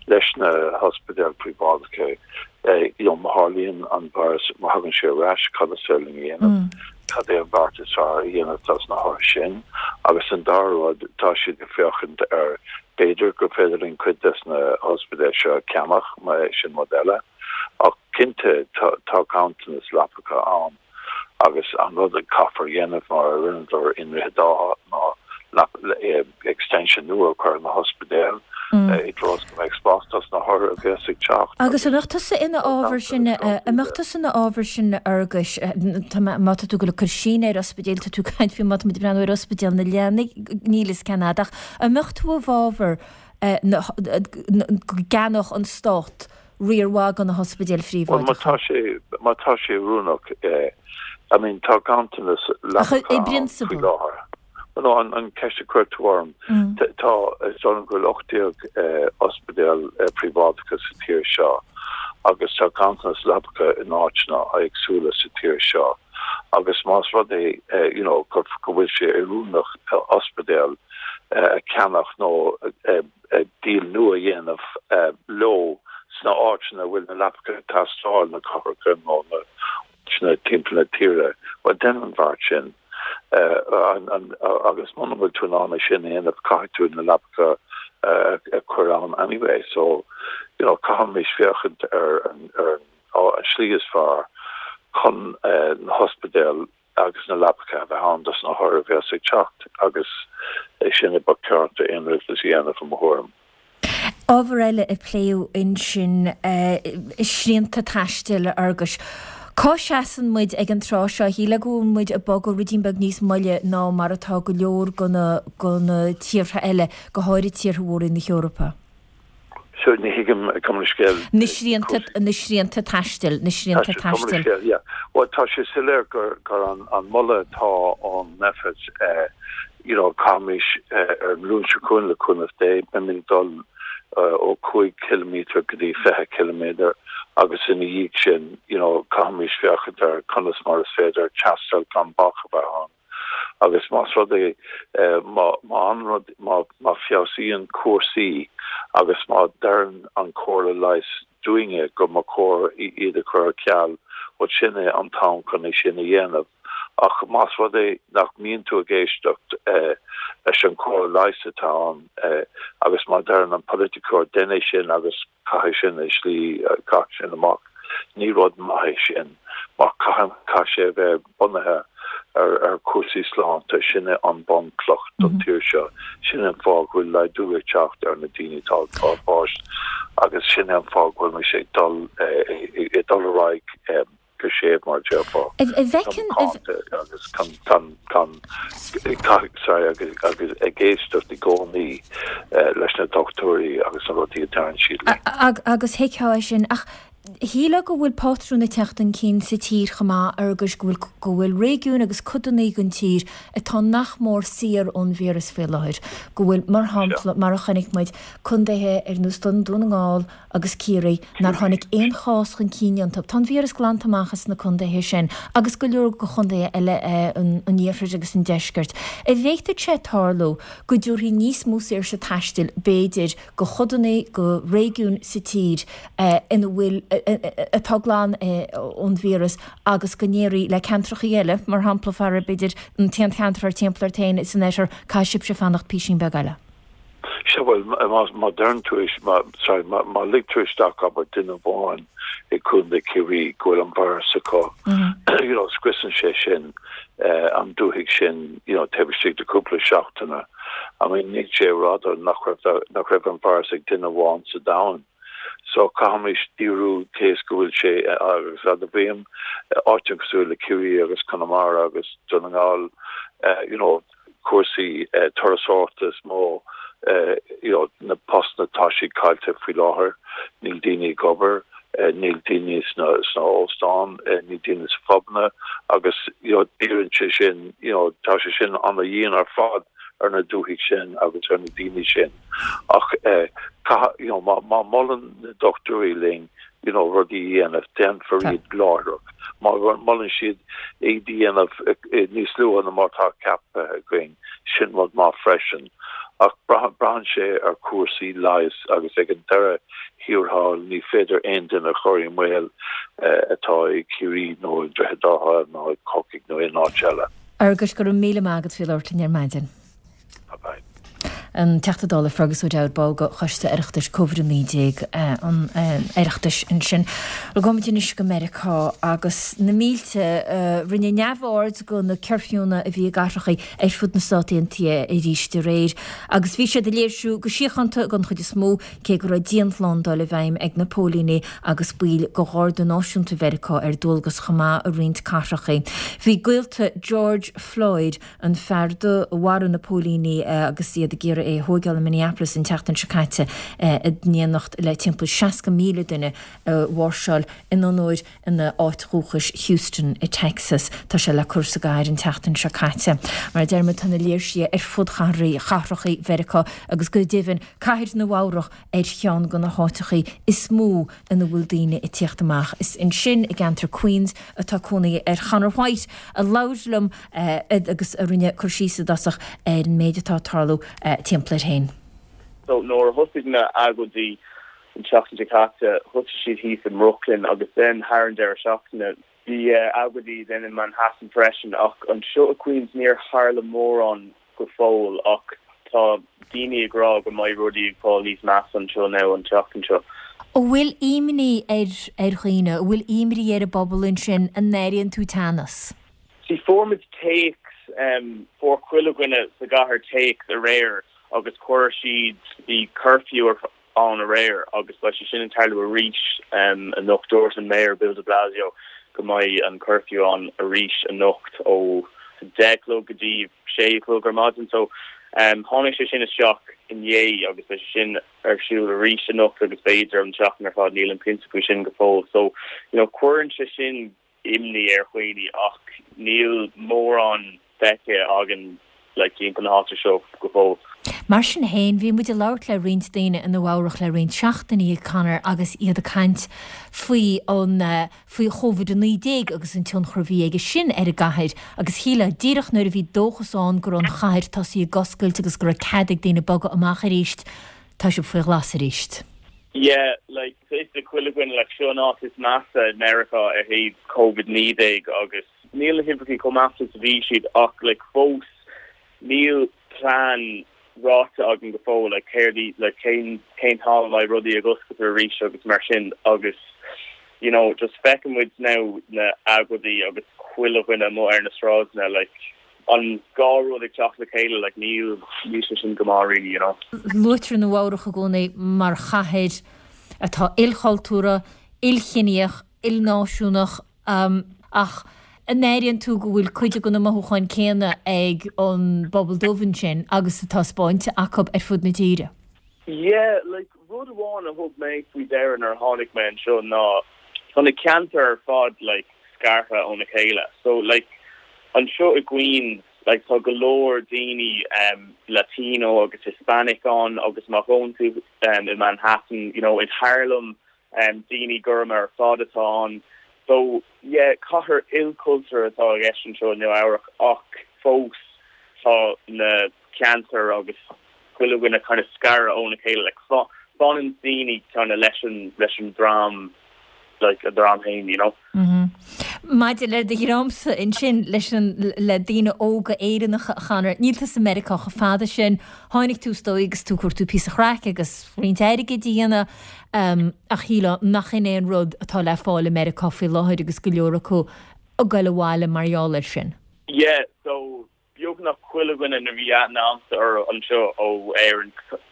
leis na hospidéil phríobháideacha. You know, má tharlaíonn an virus, má thagann sé ar ais, cad is féidir linn a dhéanamh? Cad é an beart is fearr a dhéanamh dos na hothair sin? Agus an dara rud, tá siad ag féachaint ar b'fhéidir gur féidir linn cuid des na hospidéil seo a cheannach, sin rud eile. Ach cinnte, tá tá ganntanas leapacha ann agus an rud a caithfear a dhéanamh mar a rinneadar i nDroichead Átha ná extension nua a chur ar na hospidéil i dtreo is go mbeidh spás dos na hothair a bheas ag teacht. Agus an mbeadh tusa ina fhábhar sin, an mbeadh tusa ina fhábhar sin, a Fhearghuis, má tá tú ag dul ag cur síneadh ar ospidéil, tá tú ag caint faoi má tá muid ag breathnú ar ospidéal na leanaí, níl fhios cén fhad, ach an mbeadh tú i bhfábhar go gceannódh an Stát riar mhaith de na hospidéil Bhuel, má tá phríobháideacha? sé, má tá sé oiriúnach, I mean, tá ganntanas Ach leapacha i ann faoi bprionsabal. láthair. Bhuel, no, an, an ceist a chuir tú orm, tá, is dóigh liom go bhfuil ocht déag ospidéal príobháideacha sa tír seo agus tá ganntanas leapacha in áiteanna éagsúla sa tír seo agus más rud é, you know, go, go bhfuil sé oiriúnach ospidéal a cheannach nó deal nua a dhéanamh leo sna áiteanna a bhfuil na leapacha ag teastáil, na cathracha nó na áiteanna timpeall na tíre, bhuel, déan an bheart sin. Agus muna bhfuil tú in ann é sin a dhéanamh, caithfidh tú na leapacha a chur ann anyway. So, you know, caithfimid féachaint ar an ar an slí is fearr chun na hospidéil agus na leapacha a bheith ann dos na hothair a bheas ag teacht agus é sin a ba cheart d'aon rialtas a dhéanamh i mo thuairim. Ábhar eile a pléadh ansin, srianta taistil, a Fhearghuis. Cá seasann muid ag an tráth seo? Shílfeá go bhfuil muid ag bogadh ruidín beag níos moille ná mar atá go leor de na tíortha eile, go háirid tíortha mhóra na hEorpa. So ní thuigim gabh mo leithscéal. Na srianta, na srianta taistil, na srianta taistil. Yeah. Bhuel tá sé soiléir gur gur an an moladh atá ón Nphet you know caithfimid ar an Luan seo chugainn le cúnamh Dé beimid ag dul ó cúig ciliméadar go dtí fiche ciliméadar agus ina dhiaidh sin you know caithfimid féachaint ar conas mar is féidir taisteal gan bac a bheith ann agus más rud é má má an rud má má feabhsaíonn cúrsaí agus má deireann an Chomhairle Leighis dúinne go mba chóir iad a chur ar ceal bhuel sin é an t-am chun é sin a dhéanamh. Ach más rud é nach mbíonn tú ag éisteacht leis an chomhairle leighis atá ann agus má deireann an polaiticeoir déan é sin agus caith é sin i slí, caith sin amach, ní rud maith é sin mar caithfidh, caithfidh sé a bheith bunaithe ar ar chúrsaí sláinte. Sin é an bunchloch don tír seo. Sin é an fáth go bhfuil laghdú ag teacht ar na daoine atá ag fáil bháis agus sin é an fáth go bhfuil muid ag dul ag dul ar aghaidh. go séimh mar a déarfá. Macánta agus gan gan gan sorry agus agus ag éisteacht i gcónaí leis na dochtúirí agus na rudaí a deireann siad linn. Agus thuigfeá é sin ach shílfeá go bhfuil pátrún ag teacht chun cinn sa tír chomh maith Fhearghuis go bhfuil go bhfuil réigiúin agus codanna den tír atá nach mór saor ón víreas faoi láthair, go bhfuil, mar shampla, mar a chonaic muid, contaetha ar nós Dún na nGall agus Ciarraí nár tháinig aon chás chun cinn iontu. Tá an víreas glanta amach as na contaetha sin agus go leor de chontaetha eile an iarthair agus an deiscirt. An bhféadfadh sé tarlú go dtabharfaí níos mó saoirse taistil, b'fhéidir, go chodanna, go réigiúin sa tír ina bhfuil, atá glan ón víreas agus go ndéarfaí le ceantracha eile, mar shampla, fara, b'fhéidir, an t-aon cheantar thart timpeall ort féin san oirthear, caithfidh sibhse fanacht písín beag eile. Sea, bhuel, má deireann tú, sorry, má ligtear isteach, abair, duine amháin i gContae Chiarraí go bhfuil an virus acu, you know, scriosann sé sin an dúthaigh sin, you know, taobh istigh de cúpla seachtaine. I mean, níl sé rada nach raibh, nach raibh an virus ag duine amháin sa domhan. So caithfimid díriú cé is go bhfuil sé agus admhaím áiteanna cosúil le Ciarraí agus Conamara agus Dún na nGall, you know, cúrsaí turasóireachta is mó, you know, na postanna tá siad caillte faoi láthair, níl daoine ag obair, níl daoine sna sna hóstáin, níl daoine sa phubanna agus you know díríonn sé sin, you know, tá sé sin ana-dhian ar fad ar na dúthaigh sin agus ar na daoine sin. Ach caithfidh, you know, má má molann na dochtúirí linn, you know, rudaí a dhéanamh, déanfar iad láithreach. Má molann siad iad a dhéanamh níos luaithe ná mar atá ceaptha againn, sin rud maith freisin. Ach braitheann sé ar chúrsaí leighis agus ag an deireadh thiar thall ní féidir aon duine a chur i mbaol atá i Ciarraí nó i Droichead Átha nó i Corcaigh nó aon áit eile. Fhearghuis, go raibh míle maith agat faoi labhairt linn ar maidin. Bye bye. An Teachta Dála Fergus O'Dowd, ball de Choiste Oireachtais Covid a naoi déag an Oireachtais ansin. Gabhfaimid anois go Meiriceá agus na mílte a rinne neamhaird de na cuirfiúnna a bhí i gcathracha ar fud na Stát Aontaithe arís aréir agus bhí siad ag léirsiú go síochánta den chuid is mó cé go raibh dianshlándáil i bhfeidhm ag na póilíní agus baill de Gharda Náisiúnta Mheiriceá ar dualgas chomh maith i roinnt cathracha. Bhí gaolta George Floyd, an fear dubh a mharaigh na póilíní agus iad ag iarraidh é a thóigeáil i Minneapolis an tseachtain seo caite, in éineacht le timpeall seasca míle duine a mháirseáil in onóir ina áit dhúchais Houston i Texas. Tá sé le cur sa gcathair an tseachtain seo caite. Mar a deir muid tá na léirsithe ar fud chathracha Mheiriceá agus go deimhin cathair Nua Eabhrach ar cheann de na háiteacha is mó ina bhfuil daoine ag tíocht amach. Is ansin i gceantar Queens atá cónaí ar Chonor White a labhair liom agus a rinne cur síos i dtosach ar an méid atá ag tarlú timpeall air féin. So nuair a thosaigh na agóidí an tseachtain seo caite, thosaigh siad thíos i mBrooklyn agus then thar an deireadh seachtaine bhí agóidí then in Manhattan freisin ach anseo i Queens níor tharla mórán go fóill ach tá daoine ag rá go mbeidh rudaí ag fáil níos measa anseo now an tseachtain seo. An bhfuil imní ar ar dhaoine? An bhfuil imní ar an bpobal ansin? An airíonn tú teannas? See fuair muid téacs, fuair chuile dhuine sa gcathair téacs aréir agus chuir siad, bhí curfew ann aréir agus beidh sé sin ag tarlú arís anocht. Dúirt an Mayor Bill de Blasio go mbeidh an curfew ann arís anocht ó deich a chlog go dtí sé a chlog ar maidin. So tháinig sé sin isteach inné agus beidh sé sin ar siúl arís anocht agus b'fhéidir an tseachtain ar fad, nílim cinnte faoi sin go fóill. So you know cuireann sé sin imní ar dhaoine ach níl mórán feicthe againn like timpeall na háite seo go fóill. Mar sin féin, bhí muid ag labhairt le roinnt daoine i Nua Eabhrach le roinnt seachtainí, Conor, agus iad ag caint faoi an, faoi Chóivid a naoi déag agus an tionchar a bhí aige sin ar an gcathair agus shílfeá, díreach nuair a bhí dóchas ann go raibh an chathair tosaithe ag oscailt agus go raibh cead ag daoine bogadh amach arís, tá sibh faoi ghlas arís. Yeah, like, tá a fhios ag chuile dhuine, like, seo an áit is measa i Meiriceá ar thaobh Covid naoi déag agus níl na huimhreacha chomh measa is a bhí siad ach, like, fós níl plean ráite againn go fóill, like, céard í, like, cén, cén t-am a mbeidh rudaí ag oscailt arís agus mar sin agus, you know, just feiceann muid now na agóidí agus chuile dhuine amuigh ar na sráideanna, like, an dhá rud ag teacht le chéile, like, níl, níl sé sin go maith really, you know. Luaitear Nua Eabhrach i gcónaí mar chathair atá ilchultúrtha, ilchiníoch, ilnáisiúnach, Ach an airíonn tú go bhfuil cuid de na mothúcháin céanna ag an bpobal dubh ansin agus atá spáinte acu ar fud na tíre? Yeah, like rud amháin a thug mé faoi deara nuair a tháinig mé anseo ná tá na ceantair ar fad like scartha óna chéile. So like anseo i Queens like tá go leor daoine um, Latino agus Hispanic ann agus má théann tú um, i Manhattan, you know, in Harlem um, daoine gorma ar fad atá ann. So yeah, cathair ilchultúrtha atá i gceist anseo Nua Eabhrac ach fós tá na ceantair agus chuile dhuine kind of scartha óna chéile like fanann daoine kind of leis an leis an dream like a dream féin you know. Mm -hmm. Maidir le do dhreamsa ansin leis an le daoine óga Éireannacha a Chonor, níl tú i Meiriceá chomh fada sin, tháinig tú is dóigh agus tú ag cuartú píosa craic agus roinnt airgid a dhéanamh um, ach shílfeá nach in é an rud atá le fáil i Meiriceá faoi láthair agus go leor acu ag goil abhaile mar gheall air sin. Yeah, so beagnach chuile dhuine a bhí aithne agamsa ar anseo ó Éirinn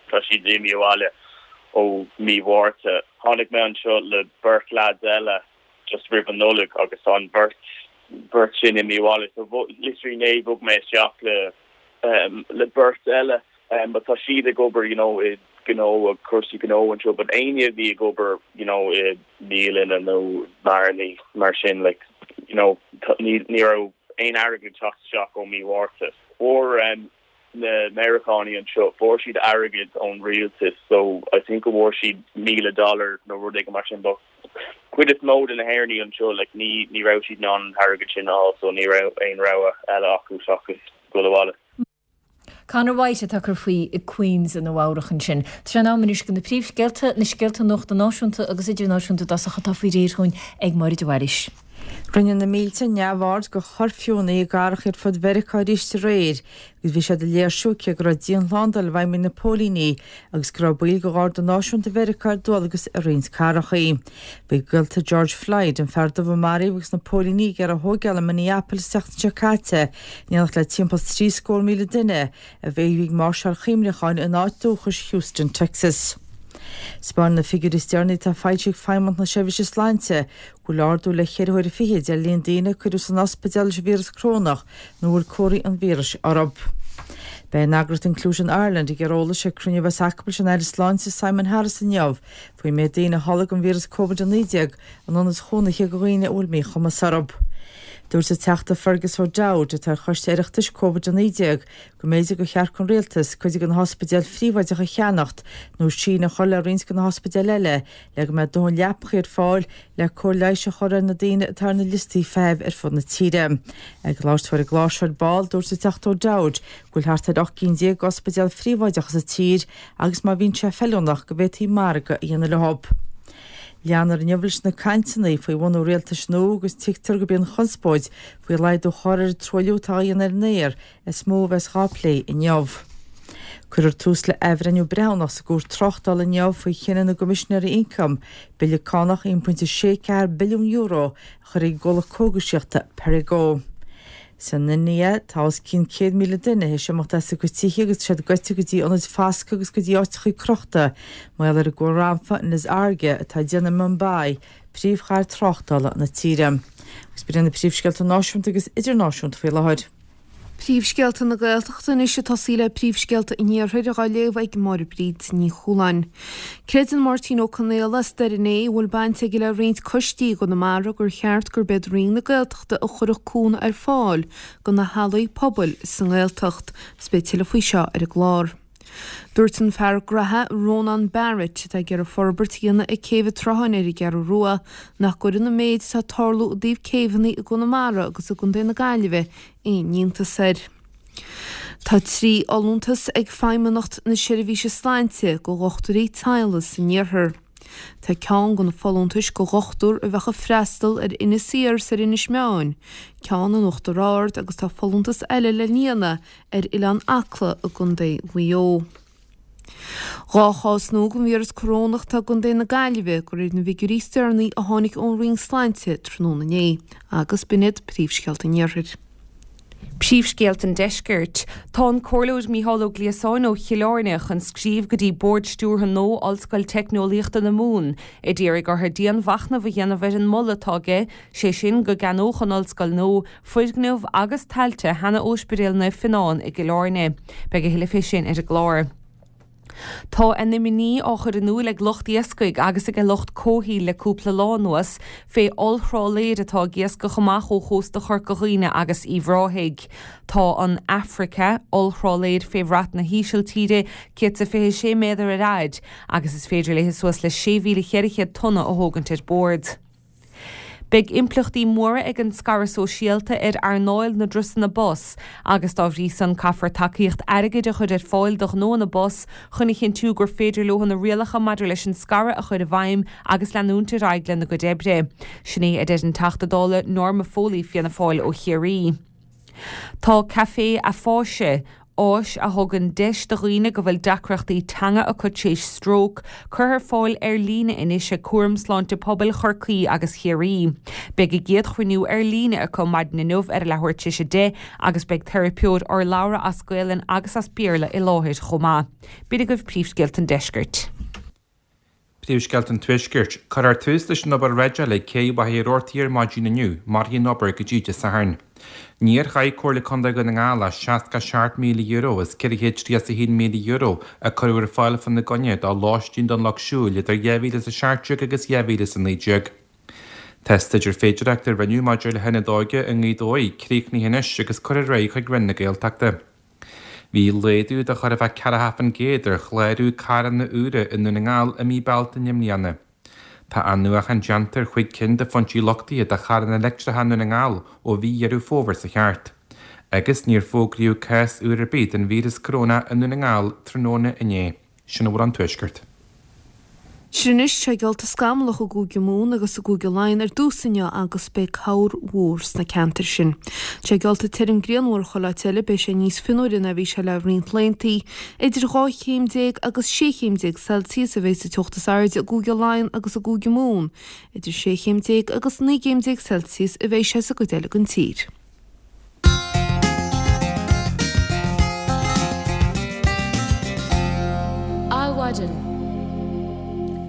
tá siad imithe abhaile ó mí Mhárta. Tháinig mé anseo le beirt lads eile just roimh an Nollaig agus tá an bheirt beirt sin imithe abhaile so literally inné bhog mé isteach le um, le beirt eile um, but tá siad ag obair you know i gnó ag cúrsaí gnó anseo but éinne a bhí ag obair you know i mbialanna nó beáranna mar sin like you know ní ní raibh aon airgead teacht isteach ó mí Mhárta. Fuair um, na Meiriceánaigh anseo fuair siad airgead ón rialtas so I think go bhfuair siad míle dollar nó rud éigin mar sin but cuid is mó de na hÉireannaigh anseo like ní ní raibh siad in ann an t-airgead sin á so ní raibh aon rogha eile acu seachas dul abhaile. Conor White atá ag cur faoi i Queens i Nua Eabhrac ansin. Tá sé in am anois do na príomhscéalta, na scéalta nuachta náisiúnta agus idirnáisiúnta i dtosach atá faoi réir dhúinn ag Máire de Bhailís. Rinne na mílte neamhaird de chuirfiúnna i gcathracha ar fud Mheiriceá arís aréir, agus bhí siad ag léirsiú cé go raibh dianshlándáil i bhfeidhm ag na póilíní agus go raibh baill de Gharda Náisiúnta Mheiriceá ar dualgas i roinnt cathracha. Bhí gaolta George Floyd, an fear dubh a maraíodh agus na póilíní ag iarraidh a thógáil i Minneapolis an tseachtain seo caite, in éineacht le timpeall trí scór míle duine a bhí ag máirseáil chuimhneacháin ina áit dúchais Houston, Texas. 'Spáineann na figiúirí is deireanaí atá foilsithe ag Feidhmeannacht na Seirbhíse Sláinte go bhfuil ardú le ceithre huaire fichead ar líon daoine a cuireadh san ospidéal leis an víreas corónach nó a bhfuil comharthaí an víris orthu. Beidh an eagraíocht Inclusion Ireland ag iarraidh eolais ag cruinniú a bheas acu leis an Aire Sláinte Simon Harris inniu faoin méid daoine a tholg an víreas Covid a naoi déag in ionaid chónaithe do dhaoine a bhfuil míchumas orthu. Dúirt an Teachta Fergus O'Dowd, atá ar Choiste Oireachtais Covid a naoi déag, go mb'fhéidir gur cheart don Rialtas cuid de na hospidéil phríobháideacha a cheannacht nó síneadh a chur le roinnt de na hospidéil eile le go mbeidh dóthain leapacha ar fáil le cóir leighis a chur ar na daoine atá ar na liostaí feithimh ar fud na tíre. Ag labhairt dó ar an gclár seo ar ball, dúirt an Teachta O'Dowd go bhfuil thart ar ocht gcinn déag d'ospidéil phríobháideacha sa tír agus má bhíonn sé feiliúnach go bhféadfaí margadh a dhéanamh leo. Leanfar inniu leis na cainteanna faoi bhunú rialtais nua agus tuigtear gurb í an chonspóid faoi laghdú a chur ar an truailliú atá á dhéanamh ar an aer is mó a bheas dhá plé inniu. Cuirfear tús le athbhreithniú breithiúnach sa gCúirt Tráchtála inniu faoi chinneadh na gCoimisinéirí Ioncaim bille cánach aon pointe sé ceathair billiún euro a chur ar an gcomhlacht cógaisíochta Perrigo. San India, tá os cionn céad míle duine théis imeacht as a gcuid tithe agus siad goite go dtí ionaid foscaidh agus go dtí áiteachaí crochta mar gheall ar an gcomhrampa Nisarga atá ag déanamh Mumbai, príomhchathair tráchtála na tíre. Agus b'in iad na príomhscéalta náisiúnta agus idirnáisiúnta faoi láthair. Príomhscéalta na Gaeltachta anois ag tosaí le príomhscéalta an Iarthair á léamh ag Máire Bríd Ní Chualáin. Creideann Máirtín Ó Conaola as Doire an Fhéich a bhfuil baint aige le roinnt coistí i gConamara gur cheart gurb iad Roinn na Gaeltachta a chuirfeadh cúnamh ar fáil do na hallaí pobail sa nGaeltacht. Is beidh tuilleadh faoi seo ar an gclár. Dúirt an fear graithe Rónán Barrett, atá ag iarraidh forbairt a dhéanamh ag Céibh an tSrutháin ar an gCeathrú Rua, nach gcuireann an méid atá ag tarlú i dtaobh céibheanna i gConamara agus i gContae na Gaillimhe aon iontas air. Tá trí fholúntas ag Feidhmeannacht na Seirbhíse Sláinte do dhochtúirí teaghlaigh san iarthar. Tá ceann de na folúntais do dhochtúir a bheadh ag freastal ar Inis Oírr is ar Inis Meáin, ceann in Uachtar Ard agus tá folúntas eile le líonadh ar Oileán Acla i gContae Mhaigh Eo. Dhá chás nua den víreas corónach atá i gContae na Gaillimhe, de réir na bhfigiúirí is deireanaí a tháinig ón Roinn Sláinte tráthnóna inné, agus b'in iad príomhscéalta an Iarthair. Príomhscéalta an Deiscirt. Tá an Comhairleoir Mícheál Ó Gliasáin ó Chill Airne chun scríobh go dtí Bord Stiúrtha nua Ollscoil Teicneolaíochta na Mumhan a d'iarraidh orthu dianmhachnamh a dhéanamh ar an moladh atá aige, sé sin go gceannódh an ollscoil nua foirgneamh agus tailte sheana-Ospidéal Naomh Fionnán i gCill Airne. Beidh a thuilleadh fé sin ar an gclár. Tá a n-imní á chur in iúl ag lucht iascaigh agus ag lucht comhshaoil le cúpla lá anuas fé ollthrálaeir atá ag iascach amach ó chósta Chorca Dhuibhne agus Uíbh Ráthaigh. Tá an Africa, ollthrálaeir fé bhrat na hÍsiltíre, céad 's a fiche sé méadar ar fhaid agus is féidir léi suas le sé mhíle cheithre chéad tonna a thógaint ar bord. Beidh impleachtaí móra ag an scaradh sóisialta ar earnáil na dturasanna bus agus dá bhrí san caithfear tacaíocht airgid a chur ar fáil do ghnóanna bus chun a chinntiú gur féidir leo na rialacha maidir leis an scaradh a chur i bhfeidhm agus leanúint ar aghaidh lena gcuid oibre. Sin é a deir an Teachta Dála Norma Foley, Fianna Fáil ó Chiarraí. Tá Café Afáise, áis a thugann deis do dhaoine go bhfuil deacrachtaí teanga acu tar éis stróc, curtha ar fáil ar líne anois ag Cúram Sláinte Pobail Chorcaí agus Chiarraí. Beidh a gcéad chruinniú ar líne acu maidin inniu ar a leathuair tar éis a deich agus beidh teiripeoir urlabhra as Gaelainn agus as Béarla i láthair chomh maith. B'in agaibh príomhscéalta an deiscirt. Príomhscéalta an Tuaiscirt. Cuirfear tús leis an obair dreideála ag Cé Mhachaire Rabhartaigh ar maidin inniu, mairfidh an obair go dtí Dé Sathairn. Níor chaith Comhairle Contae Dhún na nGall ach seasca seacht míle euro as ceithre chéad tríocha a haon míle euro a cuireadh ar fáil fána gcoinne do lóistín don lucht siúil idir dhá mhíle is a seacht déag agus dhá mhíle is a naoi déag. Tá staidéar féidearthachta a rinneadh maidir le hionad óige i nGaoth Dobhair críochnaithe anois agus curtha ar aghaidh chuig Roinn na Gaeltachta. Bhí laghdú de chóir a bheith ceathracha faoin gcéad ar chlárú carranna úra i nDún na nGall i mí Bealtaine i mbliana. Tá athnuachan déanta ar chúig cinn de phointí luchtaithe do charranna leictreacha i nDún na nGall ó mhí Dheireadh Fómhair seo thart. Agus níor fógraíodh cás úr ar bith den víreas corónach i nDún na nGall tráthnóna inné. Sin a bhfuil ón Tuaisceart. Sin anois, tá sé geallta scamallach i gCúige Mumhan agus i gCúige Laighean ar dtús inniu agus beidh corr mhór sna ceantair sin. Tá sé geallta tirim grianmhar chuile áit eile, beidh sé níos fionnuaire ná bhí sé le roinnt laethanta. Idir dhá chéim déag agus sé chéim déag Celsius a bheidh sa teocht is airde i gCúige Laighean agus i gCúige Mumhan. Idir sé chéim déag agus naoi gcéim déag Celsius a bheidh sé sa gcuid eile den tír. Adhmhaidin.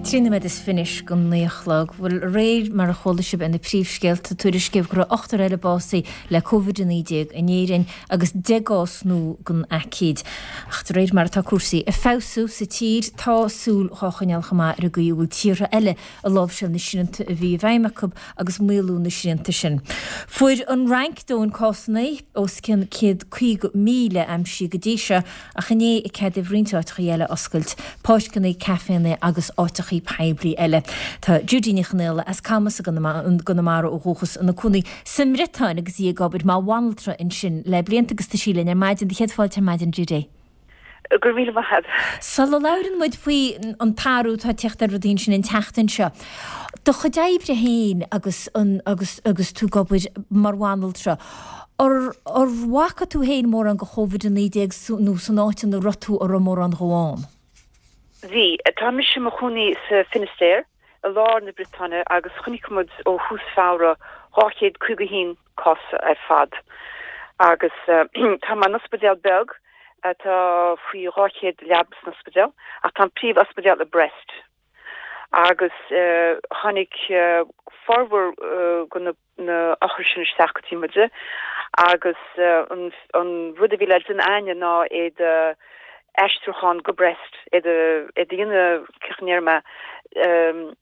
Trí nóiméad is fiche anois go naoi a chlog. Bhuel, aréir, mar a chuala sibh ar na príomhscéalta, tuairiscíodh go raibh ochtar eile básaithe le Covid a naoi déag in Éirinn agus deich gcás nua den aicíd. Ach de réir mar atá cúrsaí ag feabhsú sa tír, tá súil dhá choinneáil chomh maith ar an gcaoi a bhfuil tíortha eile ag láimhseáil na srianta a bhí i bhfeidhm acu agus maolú na srianta sin. Fuair an Fhrainc dóthain cásanna, os cionn céad caoga míle aimsithe go dtí seo, ach inné ceadaíodh roinnt áiteachaí eile oscailt, páirceanna, caiféanna agus áiteachaí poiblí eile. Tá Judy Ní Chonaola as Camas i gConamara ó dhúchas ina cónaí sa mBriotáin agus í ag obair mar bhanaltra ansin le blianta agus tá sí linn ar maidin. Do chéad fáilte ar maidin Judy. Go raibh míle maith agat. Sula labhrann muid faoi an t-athrú atá ag teacht ar rudaí ansin an tseachtain seo, do chuid oibre féin agus an agus agus tú ag obair mar bhanaltra, ar ar bhfaca tú féin mórán de Chóvid a naoi déag nó san áit ina raibh tú an raibh mórán dhó ann? Bhí. Tá mise i mo chónaí sa Finistère, i lár na Briotáine agus chonaic muid ó thús Feabhra dhá chéad caoga a haon cás ar fad. Agus tá mé in ospidéal beag atá faoi dhá chéad leaba san ospidéal ach tá an príomh-ospidéal i Brest. Agus tháinig formhór de na na othair sin isteach go dtí muide agus an an rud a bhí le déanamh a'inne ná iad a aistriúchán go Brest, iad a iad a dhéanamh cén chaoi a ndéarfaidh mé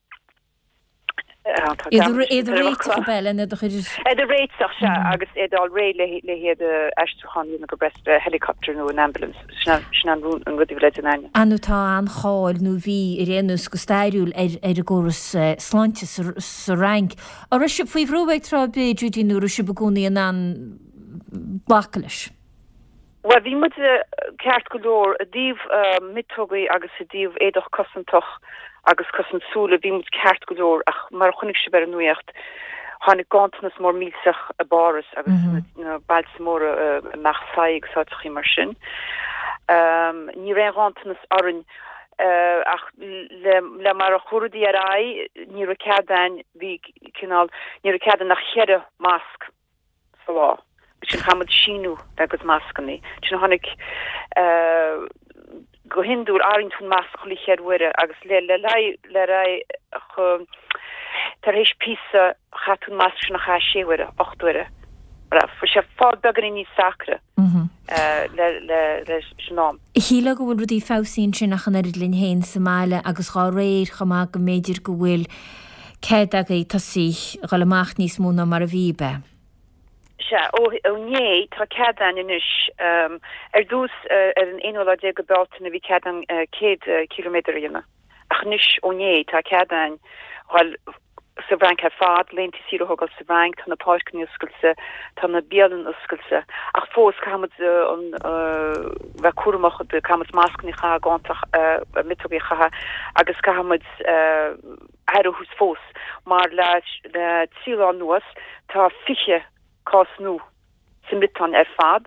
Iad a réiteach ab ea lena do chuid. Iad a réiteach, sea, agus iad a fháil réidh le le hiad a aistriúchán a dhéanamh go Brest le helicopter nó an ambulance, sin sin an an rud a bhí le déanamh a'inne. Ar ndóigh tá an-cháil nó bhí ar aon nós go stairiúil ar ar an gcóras sláinte sa sa Fhrainc. An raibh sibh faoi bhrú ag tráth ar bith, Judy, nó raibh sibh i gcónaí in ann glacadh leis? Bhuel, bhí muid ceart go leor i dtaobh miotógaí agus i dtaobh éadach cosantach agus cosaint súile, bhí muid ceart go leor ach mar a chonaic sibh ar an nuacht, tháinig ganntanas mór millteach i bPáras agus sna bailte móra i Marseille agus áiteachaí mar sin. Ní raibh aon ghanntanas orainn ach le mar a chuaigh rudaí ar aghaidh, ní raibh cead a'inn, bhí cineál, ní raibh cead a'inn ach cheithre masc sa lá. Sin chaith muid síniú le gcuid mascannaí. Sin tháinig go hiondúil airíonn tú an masc chuile cheithre huaire agus le le le le tar éis píosa chaith tú an masc sin a chaitheamh sé huaire, ocht uaire. Bhí sé fáil beagáinín níos deacra le le leis an am. Shílfeá go bhfuil rudaí feabhsaithe ansin ach an oiread linn féin sa mbaile agus dhá réir chomh maith go mb'fhéidir go bhfuil cead agaibh tosaí a dhul amach níos mó ná mar a bhí, ab ea? Sea, ó inné tá cead againn anois. Ar dtús ar an aonú lá déag de Bealtaine bhí cead againn céad ciliméadar a dhéanamh ach anois ó inné tá cead againn dhul sa bhFrainc ar fad, laethanta saoire a thógáil sa bhFrainc, tá na páirceanna oscailte, tá na bialanna oscailte ach fós caithfidh muid an bheith cúramach, caithfidh muid mascanna a chaitheamh, ganta, miotógaí a chaitheamh agus caithfidh muid aire a thabhairt fós mar le trí lá anuas tá fiche cás nua sa mBriotáin ar fad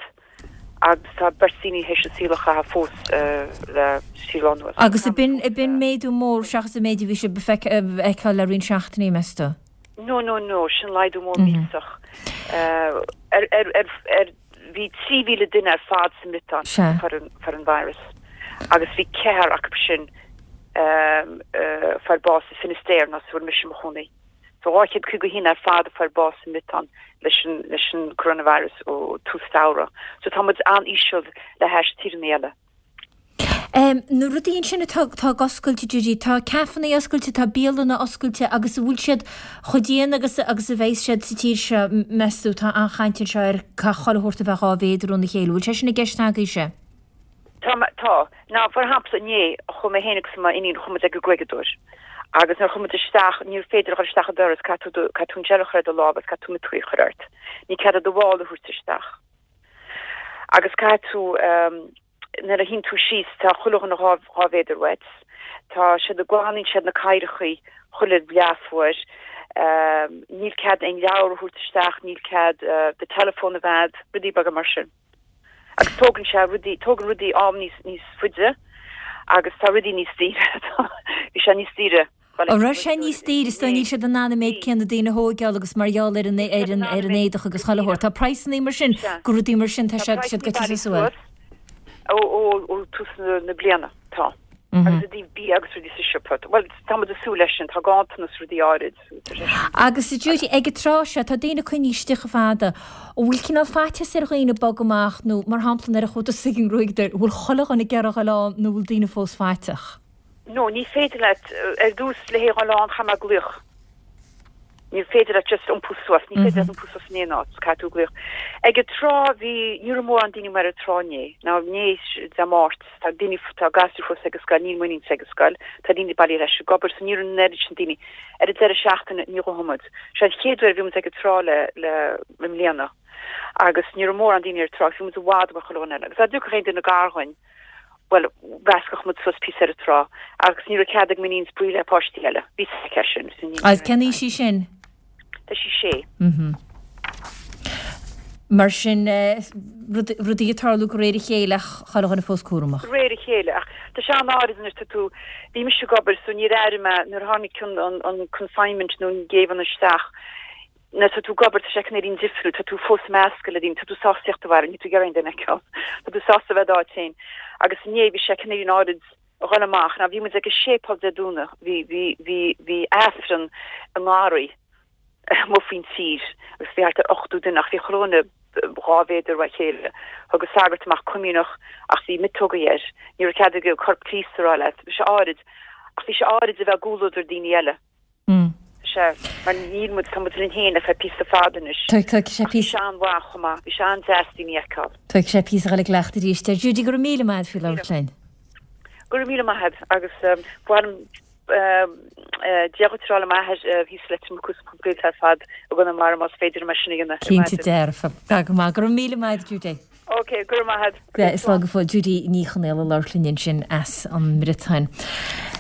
agus tá beirt daoine théis an saol a chaitheamh fós le trí lá anuas. Agus ab in ab in méadú mór seachas an méid a bhí sibh a fheiceáil le roinnt seachtainí, meas tú? No, no, no, sin laghdú mór millteach. Ar, ar, ar, ar, bhí trí mhíle duine ar fad sa mBriotáin fuair an, fuair an virus agus bhí ceathrar acu sin fuair bás sa Finistère, an áit a bhfuil mise i mo chónaí. So dhá chéad caoga a haon ar fad a fuair bás sa mBriotáin leis an leis an coronavirus ó tús Feabhra. So tá muid an-íseal le hais tíreanna eile. Em, na rudaí ansin atá atá ag oscailt, Judy, tá caifeanna oscailte, tá bialanna oscailte agus an bhfuil siad chomh dian agus agus a bheas siad sa tír seo, meas tú? Tá an-chaint anseo ar caithfidh chuile shórt a bheith dhá mhéadar óna chéile. Bhfuil sé sin i gceist agaibhse? Tá, tá. Now, for shampla, inné, chuaigh mé féin agus m'iníon, chuaigh muid ag an gruaigeadóir. Agus nuair a chuaigh muid isteach, níor féidir a dhul isteach an doras, caithfidh tú do, caithfidh tú an gel a chur ar do lámh agus caithfidh tú miotógaí a chur ort. Ní cead duit do mhála a thabhairt isteach. Agus caithfidh tú, ehm, nuair a shuíonn tú síos, tá chuile dhuine dhá, dhá mhéadar uait. Tá siad, glanaíonn siad na cathaoireachaí chuile leathuair. Ehm, níl cead aon leabhar a thabhairt isteach, níl cead, eh, do teileafón a bheith a'd, rudaí beaga mar sin. Agus tógann sé rudaí, tógann rudaí am níos, níos faide agus tá rudaí níos daoire, bhí sé níos daoire. An raibh sé níos daoire, is dóigh níl siad in ann an méid céanna daoine a thóigeáil agus mar gheall ar an, ar an, ar an éadach agus chuile shórt. Tá praghsannaí mar sin, go rudaí mar sin, tá siad, siad goite suas bhuel. Ó, ó, ó tús na, na bliana, tá. Agus i dtaobh bia agus rudaí sa siopa. Bhuel, tá muid ag súil leis sin, tá ganntanas rudaí áirid. Agus a Judy, ag an tráth seo, tá daoine coinnithe istigh chomh fada. An bhfuil cineál faitíos ar dhaoine bogadh amach nó, mar shampla, nuair a chuaigh tusa ag an ngruaigeadóir, an bhfuil chuile dhuine ag iarraidh dhul ann nó an bhfuil daoine fós faiteach? No, ní féidir leat, ar dtús, le haghaidh dhul ann, chaithfidh mé glaoch. Ní féidir leat just iompú suas, ní féidir leat iompú suas in aon áit, caithfidh tú glaoch. Ag an trá bhí, ní raibh mórán daoine amuigh ar an trá inné, now inné Dé Máirt, tá daoine, tá gasúir fós ag an scoil, níl m'iníonsa ag an scoil, tá daoine bailithe ar ais ag obair, so ní raibh an oiread sin daoine. Ar an deireadh seachtaine ní ghabhfaidh muid. Seo an chéad uair a bhí muid ag an trá le, le, i mbliana agus ní raibh mórán daoine ar an trá, bhí muid i bhfad ó chuile dhuine eile agus dá dtiocfadh aon duine gar dhuinn, bhuel, mheascfadh muid suas píosa ar an trá agus ní raibh cead ag m'iníon spraoi le páistí eile. Bhí fhios aici sin. Agus cén aois í sin? Tá sí sé. Mar sin, rudaí ag tarlú de réir a chéile ach chuile dhuine fós cúramach. De réir a chéile ach tá sé an-áirid anois tá tú, bhí mise ag obair so níor airigh mé nuair a tháinig an, an confinement nó an géibheann isteach, Nuair atá tú ag obair, tá sé cineáilín difriúil, tá tú fós ag meascadh le daoine, tá tú sásta tíocht abhaile, níl tú ag iarraidh aon duine a fheiceáil, tá tú sásta a bheith i d'áit féin. Agus inné bhí sé cineáilín áirid a dhul amach, now bhí muid ag an séipéal Dé Domhnaigh, bhí, bhí, bhí, bhí Aifreann i ngarraí amuigh faoin tír agus bhí thart ar ochtó duine ach bhí chuile dhuine dhá mhéadar ó chéile. Thug an sagart amach comaoineach ach bhí miotógaí air, ní raibh cead aige Corp Críost a rá leat, bhí sé áirid, ach bhí sé áirid a bheith i gcomhluadar daoine eile. Sea, mar níl muid, tá muid linn féin le feadh píosa fada anois. Tógfaidh sé Ach bhí sé an-mhaith chomh maith, bhí sé an-deas daoine a fheiceáil. Tógfaidh sé píosa a dhul i gcleachtadh arís air. Judy, go raibh míle maith agat faoi labhairt linn. Go raibh míle maith agat agus ba mhaith liom Dia dhuit a rá le m'athair thíos i Leitir Mucú is mo chuid gaolta ar fad i gConamara más féidir liom é sin a dhéanamh ar Cinnte maidin. dearfa. Tá go maith. Go raibh míle maith agat, Judy. Ok, go raibh maith agat. Slán go fóill. Judy Ní Chonaola ag labhairt linn ansin as an mBriotáin.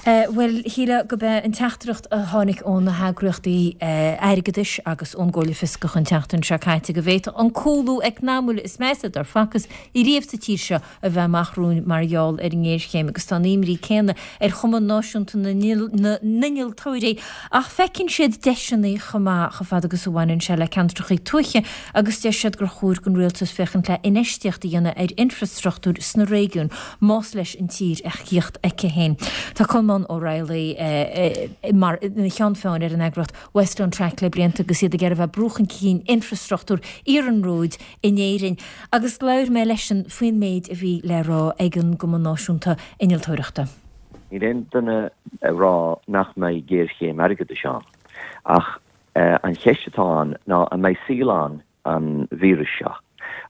Bhuel, shílfeá gurb é an teachtaireacht a tháinig ó na heagraíochtaí airgeadais agus ón gComhairle Fioscach an tseachtain seo caite go bhféadfadh an cúlú eacnamúil is measa dár facthas riamh sa tír seo a bheith amach romhainn mar gheall ar an ngéarchéim agus tá an imní céanna ar Chumann Náisiúnta na nInnealtóirí ach feiceann siad deiseanna chomh maith chomh fada agus a bhaineann sé le ceantracha tuaithe agus deir siad gur chóir don rialtas féachaint le infheistíocht a dhéanamh ar infreastruchtúr sna réigiúin más leis an tír a thíocht aici féin. Tá Colmán Ó Raghallaigh mar ina cheann feadhain ar an eagraíocht West on Track le blianta agus iad ag iarraidh a bheith ag brú chun cinn infreastruchtúr iarnróid in Éirinn agus labhair mé leisean faoin méid a bhí le rá ag an gCumann Náisiúnta Innealtóireachta. Níl aon duine ag rá nach mbeidh géarchéim airgeadais ann, ach an cheist atá ann ná an mbeidh saol ann an víreas seo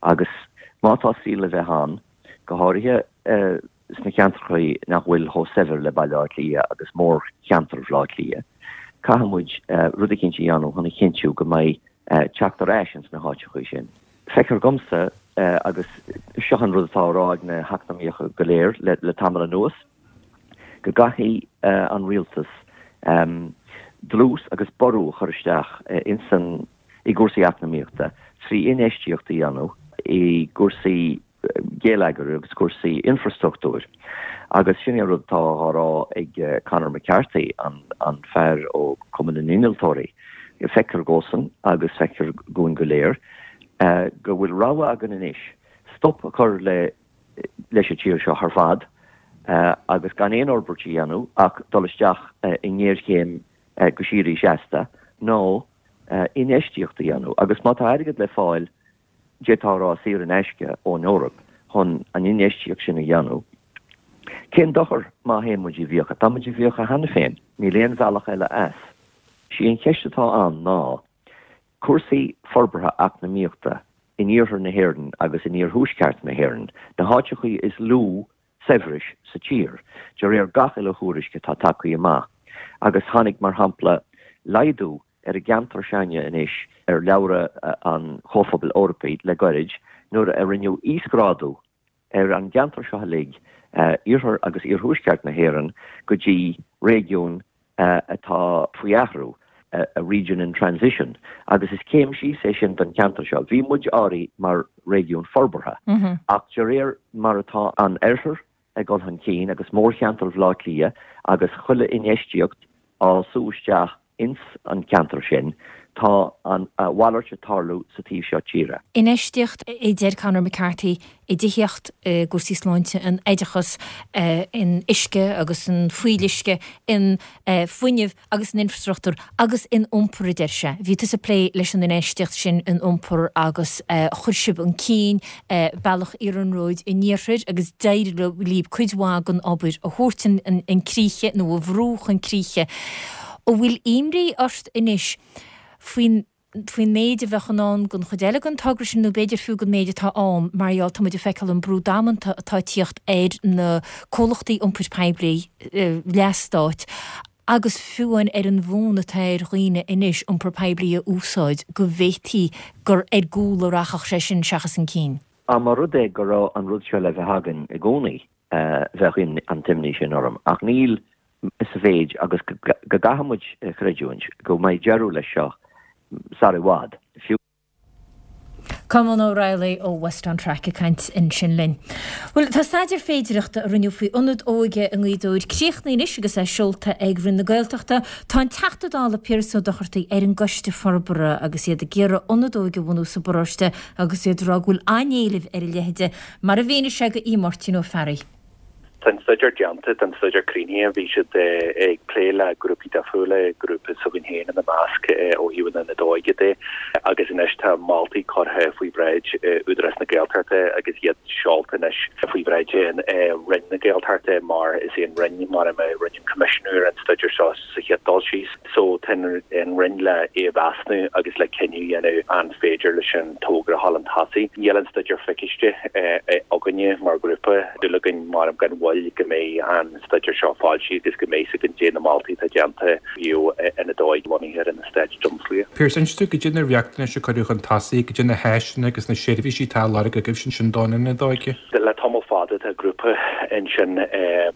agus má tá saol le bheith ann, go háirithe sna ceantracha nach bhfuil chomh saibhir le Baile Átha Cliath agus mórcheantar Bhaile Átha Cliath, caithfidh muid rud eicínt a dhéanamh chun a chinntiú go mbeidh teacht ar ais ins na háiteacha sin. Feictear dhomsa, agus seo an rud atá á rá ag na heacnamaíocha go léir le tamall anuas, go gcaithfidh an rialtas dlús agus ború a chur isteach ins an i gcúrsaí eacnamaíochta trí infheistíocht a dhéanamh i gcúrsaí geilleagair agus cúrsaí infreastruchtúir. Agus sin é an rud atá á rá ag Conor McCarthy, an fear ó Chumann na nInnealtóirí. Feictear dhósan, agus feictear dhúinn go léir, go bhfuil rogha againn anois, stop a chur le leis an tír seo ar fad agus gan aon fhorbairt a dhéanamh ach dul isteach i ngéarchéim go síoraí seasta, nó infheistíocht a dhéanamh. Agus má tá airgead le fáil, d'fhéadfá a rá saor in aisce ón Eoraip chun an infheistíocht sin a dhéanamh, cén dochar má théann muid i bhfiacha? Tá muid i bhfiacha cheana féin. Níl aon bhealach eile as. Sí an cheist atá ann ná cúrsaí forbartha eacnamaíochta in iarthar na hÉireann agus in iarthuaisceart na hÉireann, na háiteachaí is lú saibhris sa tír, de réir gach uile thuairisc atá tagtha amach. Agus tháinig, mar shampla, laghdú ar an gceantar s'againne anois ar leabhra an Chomhphobail Eorpaigh le goirid nuair a rinneadh íosghrádú ar an gceantar seo uilig, iarthar agus iarthuaisceart na hÉireann, go dtí réigiún atá faoi athrú, a region in transition, agus is céim síos é sin don cheantar seo. Bhí muid áirithe mar réigiún forbartha, ach de réir mar atá an oirthear ag dul chun cinn agus mórcheantar Bhaile Átha Cliath agus chuile infheistíocht á sú isteach ins an ceantar sin, tá an mhalairt ag tarlú sa taobh seo tíre. Infheistíocht, a deir Conor McCarthy, i dtithíocht, i gcúrsaí sláinte, in oideachas, in uisce agus in fuíolluisce, in fuinneamh agus in infreastruchtúr agus in iompar, a deir sé. Bhí tusa ag plé leis an infheistíocht sin in iompar agus chuir sibh chun cinn bealach iarnróid an iarthair agus d'éirigh libh cuid mhaith den obair a thabhairt chun críche nó a bhrú chun críche. An bhfuil imní ort anois faoin faoin méid a bheadh in ann den chuid eile den togra sin nó b'fhéidir fiú den méid atá ann mar gheall tá muid ag feiceáil an brú damanta atá ag tíocht ar na comhlachtaí iompair poiblí leathstáit agus fiú amháin ar an bhfonn atá ar dhaoine anois iompar poiblí a úsáid go bhféadfaí gur ar gcúl a rachadh sé sin seachas chun cinn. Dá mba rud é go raibh an rud seo le bheith againn i gcónaí bheadh an t-imní sin orm ach níl sa mhéid agus go gcaithfidh muid a chreidiúint go mbeidh deireadh leis seo sar i bhfad, fiú. Colmán Ó Raghallaigh ó West on Track ag caint ansin linn. Bhuel, tá staidéar féidireachta a rinneadh faoi ionad óige i nGaoth Dobhair críochnaithe anois agus é seolta ag Roinn na Gaeltachta. Tá an Teachta Dála Piaras Ó Dochartaigh ar an gcoiste forbartha agus iad ag iarraidh ionad óige a bhunú sa bparóiste agus iad ag rá go bhfuil an-éileamh ar a leithéide, mar a mhínigh sé do Mháirtín Ó Fearraigh. Tá an staidéar déanta, tá an staidéar críochnaithe, bhí siad ag plé le grúpaí difriúla, grúpa s'againn féin ina measc ó thaobh an Ionaid Óige de, agus anois tá moltaí curtha faoi bhráid Údarás na Gaeltachta agus iad seolta anois faoi bhráid Roinn na Gaeltachta mar is é an Roinn mar a rinne an coimisiúnú ar an staidéar seo sa chéad dul síos. So tá an Roinn le é a mheasnú agus le cinneadh a dhéanamh an féidir leis an togra a dhul chun tosaigh. Níl an staidéar feiciste againne mar ghrúpa. Dúil againn mar gan mhoill go mbeidh an staidéar seo foilsithe agus go mbeidh fhios againn caidé na moltaí atá déanta ó thaobh ionad óige lonnaithe ar an eastát Drumslia. Pearse, inis dúinn caidé na riachtanais a cuireadh chun tosaigh, caidé na háiseanna agus na seirbhísí atá á lorg agaibh ansin don ionad óige. Le tamall fada fada tá grúpa ansin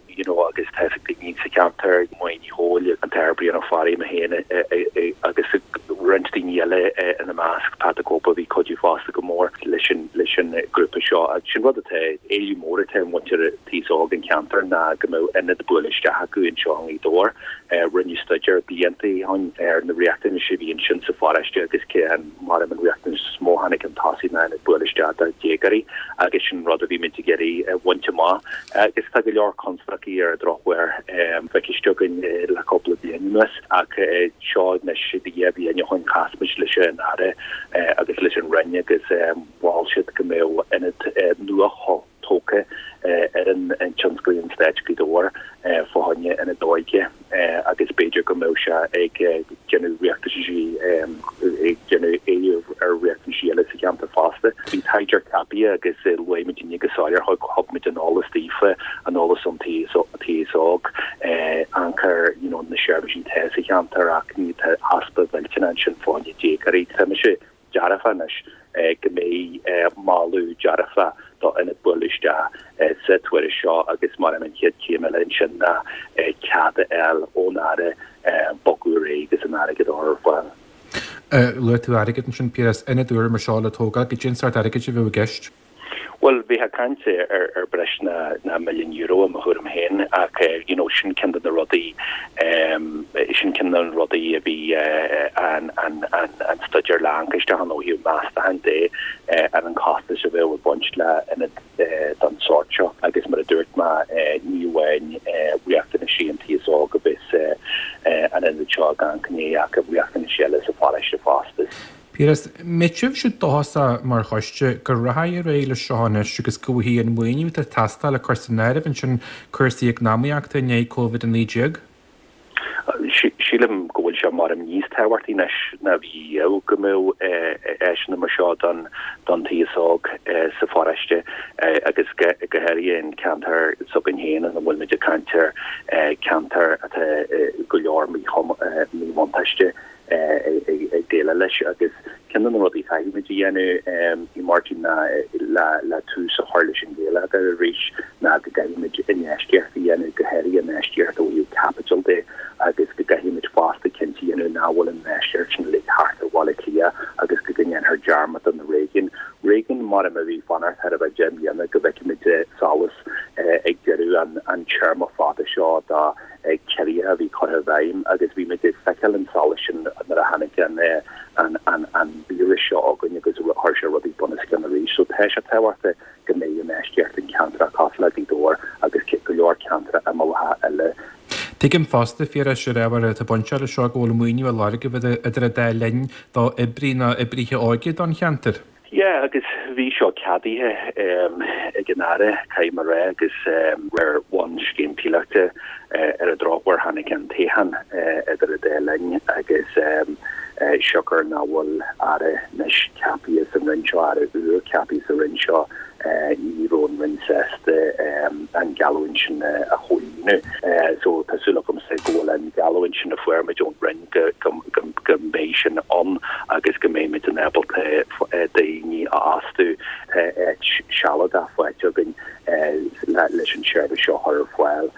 you know agus tá fhios ag daoine sa cheantar, Máire Ní Chomhaill, an tAthair Brian Ó Fearraigh, mé féin agus roinnt daoine eile ina measc, Pat the Cope a bhí ag cuidiú fosta go mór leis an leis an grúpa seo agus sin rud atá, éileamh mór atá ar mhuintir an t-aos óg an cheantair ná go mbeadh ionad bualadh isteach acu anseo i nGaoth Dobhair. Rinneadh staidéar blianta ó shin ar na riachtanais a bhí ansin sa pharóiste agus cé an mar an riachtanas is mó a tháinig chun tosaigh ná ionad bualadh isteach do dhéagóirí agus sin rud a bhí muid ag iarraidh a bhaint amach agus tá go leor constaicí ar an drochuair feicthe againn le cúpla bliain anuas ach seo anois dhá bhliain ó shin chas muid leis an Aire agus leis an Roinn agus mhol siad go mbeadh ionad nua tógtha ar an Tionsclaíocht Stáit Gaoth Dobhair fá choinne ionad óige agus b'fhéidir go mbeadh sé ag déanamh riachtanaisí ag déanamh éileamh ar riachtanaisí eile sa cheantar fosta. Bhí taighdeoir ceaptha agus luaigh muidinne go soiléir thug thug muid an eolas daofa, an eolas ón t-aos óg, amharc ar you know na seirbhísí atá sa cheantar ach ní tá easpa mhillteanach ansin fá choinne déagóirí. Tá mise dearfa anois go mbeidh moladh dearfa do ionad bualadh isteach sa tuairisc seo agus mar an chéad chéim eile ansin ná cead a fháil ón Aire bogadh ar aghaidh agus an airgead a chur ar fáil. Luaigh tú airgead ansin, Piaras, ionad úr mar seo le tógáil, goidé an sórt airgid a bheadh i gceist? Bhuel, bheifeá ag caint ar ar breis ná ná milliún euro i mo thuairim féin ach you know sin ceann de na rudaí sin ceann de na rudaí a bhí an an an an staidéar le amharc isteach ann ó thaobh meastacháin de ar an costas a bheadh ag baint le ionad den sórt seo agus mar a dúirt mé ní amháin riachtanaisí an t-aos óg a bheas an ionad seo ag amharc ina dhiaidh ach riachtanaisí eile sa pharóiste fosta. Piaras, mbeidh sibhse dóchasach mar choiste go rachaidh ar aghaidh leis seo anois agus go bhfaighidh an maoiniú atá ag teastáil ag cur san áireamh ansin cúrsaí eacnamaíochta i ndiaidh Covid a naoi déag? Sílim go bhfuil sé mar níos tábhachtaí anois ná bhí riamh go mbeadh áiseanna mar seo don don t-aos óg sa pharóiste agus go háirithe an ceantar s'againn féin ina bhfuil muid ag caint ar ceantar atá go leor míbhuntáiste ag déileáil leis agus ceann de na rudaí a chaithfidh muid a dhéanamh i Máirtín ná le tús a chur leis an gheilleagar arís ná go gcaithfidh muid infheistíocht a dhéanamh, go háirithe infheistíocht ó thaobh caipitil de agus go gcaithfidh muid fosta cinnte a dhéanamh nach bhfuil an infheistíocht sin uilig thart ar Bhaile Átha Cliath agus go ndéanfar dearmad de na réigiúin. Réigiún mar a bhí ag fanacht thar a bheith deich mbliana go bhfeicfimid solas ag deireadh an téarma fada seo de ciorruithe a bhí curtha i bhfeidhm agus bhí muid ag feiceáil an solas sin nuair a tháinig an an an an víreas seo againn agus chuir sé rudaí bunoscionn arís. So tá sé tábhachtach go mbeidh infheistíocht in ceantracha cosúil le Gaoth Dobhair agus go leor ceantracha imeallacha eile. Tuigim fosta, a Phiarais, ar ábhar atá bainteach leis seo go bhfuil maoiniú á lorg agaibh idir an dá linn d'oibrí nó oibrithe óige don cheantar. Yeah, agus bhí seo ceadaithe ag an Aire, caithfidh mé a rá, agus ar bhonn scéim píolótach ar an drochuair tháinig an toghchán idir an dá linn agus siocair nach bhfuil Aire anois ceaptha sa Roinn seo, Aire úr ceaptha sa Roinn seo, ní raibh an Roinn sásta an geallúint sin a chomhlíonadh. So tá súil agamsa go bhfuil an gheallúint sin a fuair muid ón Roinn go go mbeidh sin ann agus go mbeidh muid in ábalta daoine a fhostú. Tá áit sealadach faighte againn leis an seirbhís seo a chur ar fáil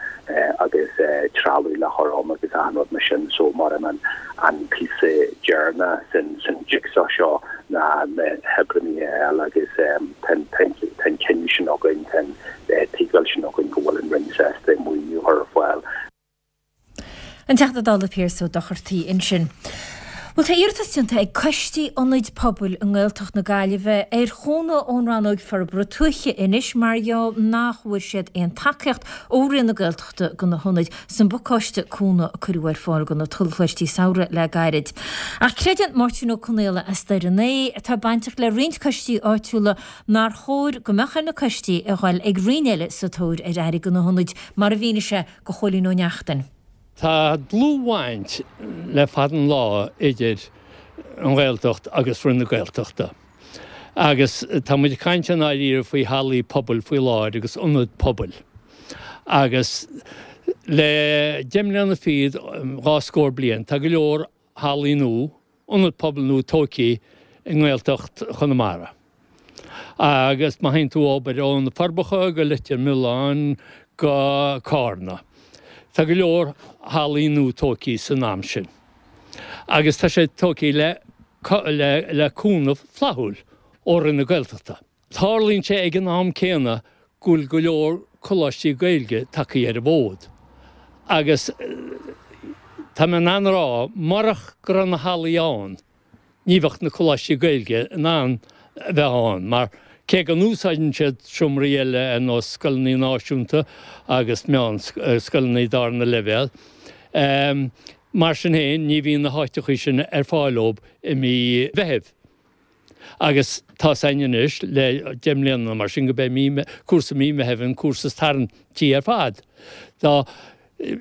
agus trealamh le chur ann agus achan rud mar sin so mar an an píosa deireanach san san jigsaw seo ná na hoibrithe a fháil agus tá an cinneadh sin againn, tá an tuigbheáil sin againn go bhfuil an Roinn sásta maoiniú a chur ar fáil. An Teachta Dála Pearse Ó Dochartaigh ansin. Bhuel tá iarratas déanta ag coistí ionaid pobail i nGaeltacht na Gaillimhe ar chúnamh ón Rannóg Forbartha Tuaithe anois mar gheall nach bhfuair siad aon tacaíocht ó Roinn na Gaeltachta do na hionaid san bpacáiste cúnamh a cuireadh ar fáil do na tullchoistí samhraidh le gairid. Ach creideann Máirtín Ó Conaola as Doire an Aodha, atá bainteach le roinnt coistí áitiúla, nár chóir go mbeadh ar na coistí a dhul ag roinn eile sa tóir ar airgead do na hionaid, mar a mhínigh sé do Chóilín Ó Neachtain. Tá dlúthbhaint le fada an lá idir an Ghaeltacht agus Roinn na Gaeltachta. Agus tá muid ag caint i ndáiríre faoi hallaí pobail faoi láthair agus ionaid pobail. Agus le deich mbliana fichead, dhá scór bliain, tá go leor hallaí nua, ionad pobail nua tógtha i nGaeltacht Chonamara. Agus má théann tú abair ó na Forbacha go Leitir Mealláin go Cárna. Tá go leor hallaí nua tógtha san am sin. Agus tá sé tógtha le le cúnamh flaithiúil ó Roinn na Gaeltachta. Tarlaíonn sé ag an am céanna go bhfuil go leor coláistí Gaeilge tagtha ar an bhfód. Agus tá mé in ann a rá, murach go raibh na hallaí ann, ní bheadh na coláistí Gaeilge in ann a bheith ann, mar cé go n-úsáideann siad seomraí eile ar nós scoileanna náisiúnta agus meánscoileanna darna leibhéal, mar sin féin ní bhíonn na háiteachaí sin ar fáil dóibh i mí Mheithimh. Agus tá's againn anois le deich mbliana nó mar sin gurb é mí, cúrsa mí Mheithimh an cúrsa is tarraingtí ar fad. Dá,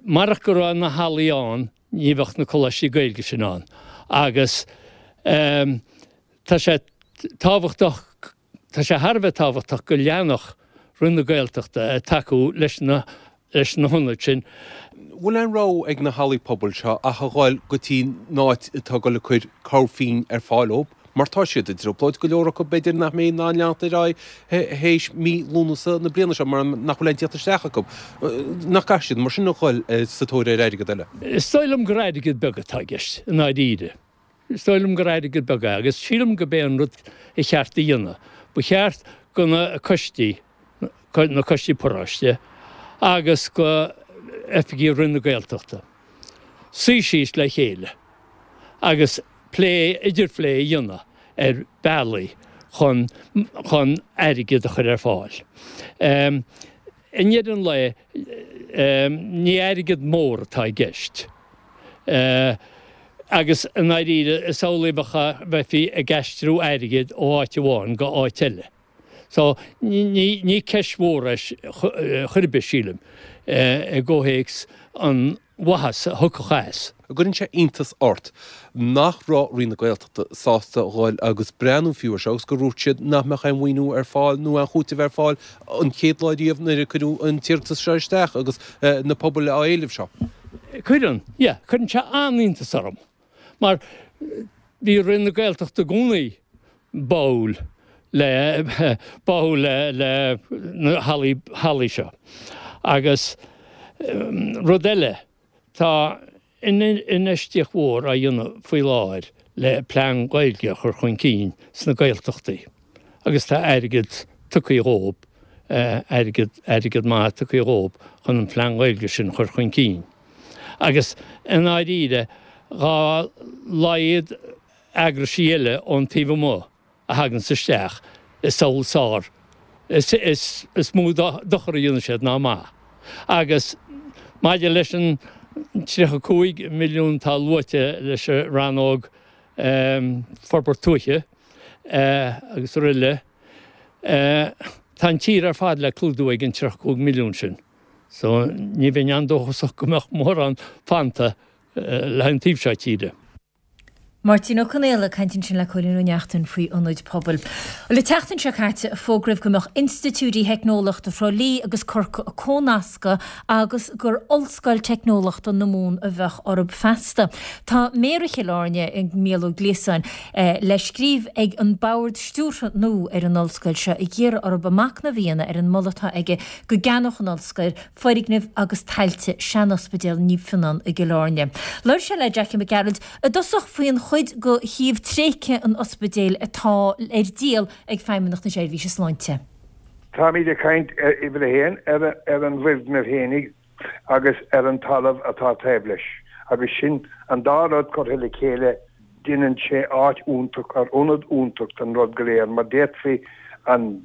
marach go raibh na hallaí ann ní bheadh na coláistí Gaeilge sin ann. Agus tá sé tábhachtach, tá sé thar a bheith tábhachtach go leanfadh Roinn na Gaeltachta ag tacú leis na leis na hionaid sin. Bhfuil aon rogha ag na hallaí pobail seo ach a dhul go dtí an áit atá ag dul ag cur cabhair phingin ar fáil dóibh, mar tá siad i dtrioblóid, go leor acu b'fhéidir nach mbeidh in ann leanacht ar aghaidh théis mí Lúnasa na bliana seo mar nach bhfuil aon tíocht isteach acu. Nach gcaithfidh siad mar sin a dhul sa tóir ar airgead eile? Is dóigh liom gur airgead beag atá i gceist, i ndáiríre. Is dóigh liom gur airgead beag é agus sílim gurb é an rud a cheart a dhéanamh. Ba cheart go na coistí, na coistí paróiste agus go oifigí Roinn na Gaeltachta suí síos le chéile agus plé, idirphlé a dhéanamh ar bealaí chun, chun airgead a chur ar fáil. I ndeireadh an lae, ní airgead mór atá i gceist. Agus i ndáiríre, is amhlaidh a bheifí ag aistriú airgid ó áit amháin go áit eile. So, ní, ní ceist mhór é chor ar bith, sílim, i gcomhthéacs an mhaitheas a thiocfadh as. An gcuireann sé iontas ort nach raibh Roinn na Gaeltachta sásta dhul agus breathnú fiú ar seo agus gur dhúirt siad nach mbeadh aon mhaoiniú ar fáil nó aon chúiteamh ar fáil an chéad lá riamh nuair a cuireadh an t-iarratas seo isteach agus na pobail á éileamh seo? Cuireann, yeah, cuireann sé an-iontas orm mar bhí Roinn na Gaeltachta i gcónaí báúil le, báúil le, le na hallaí, hallaí seo. Agus rud eile, tá infheistíocht mhór á dhéanamh faoi láthair le plean Gaeilge a chur chun cinn sna Gaeltachtaí agus tá airgead tugtha dhóibh, airgead, airgead maith tugtha dhóibh chun an plean Gaeilge sin a chur chun cinn. Agus i ndáiríre, dhá laghad eagraisí eile ón taobh amuigh a thaganns isteach i samhail sár, is, is, is mó dochar a dhéanann siad ná maith. Agus maidir leis an tríocha cúig milliún atá luaite leis an rannóg forbairt tuaithe agus araile, tá an tír ar fad le clúdú ag an tríocha cúig milliún sin. So ní bheinn an-dóchasach go mbeadh mórán fanta le haghaidh an taobh seo tíre. Máirtín Ó Conaola ag caint ansin le Cóilín Ó Neachtain faoi ionaid pobail. Bhuel, an tseachtain seo caite a fógraíodh go mbeadh institiúidí theicneolaíochta Thrá Lí agus Corcaigh á gcónascadh agus gur Ollscoil Teicneolaíochta na Mumhan a bheadh orthu feasta. Tá Méara Chill Airne, Mícheál Ó Gliasáin, le scríobh ag an bord stiúrtha nua ar an ollscoil seo ag iarraidh orthu machnamh a dhéanamh ar an moladh atá aige go gceannódh an ollscoil foirgnimh agus tailte sean-ospidéal Naomh Fionnán i gCill Airne. Labhair sé le Jackie Mac Gearailt i dtosach faoin chuid de shuíomh tréigthe an ospidéil atá ar díol ag Feidhmeannacht na Seirbhíse Sláinte. Táimid ag caint ar uimhir a haon, ar an bhfoirgneamh fhéinig agus ar an talamh atá taobh leis, agus sin an dá rud curtha le chéile deineann sé áit iontach, ar ionad iontach don rud go léir mar d'fhéadfaí an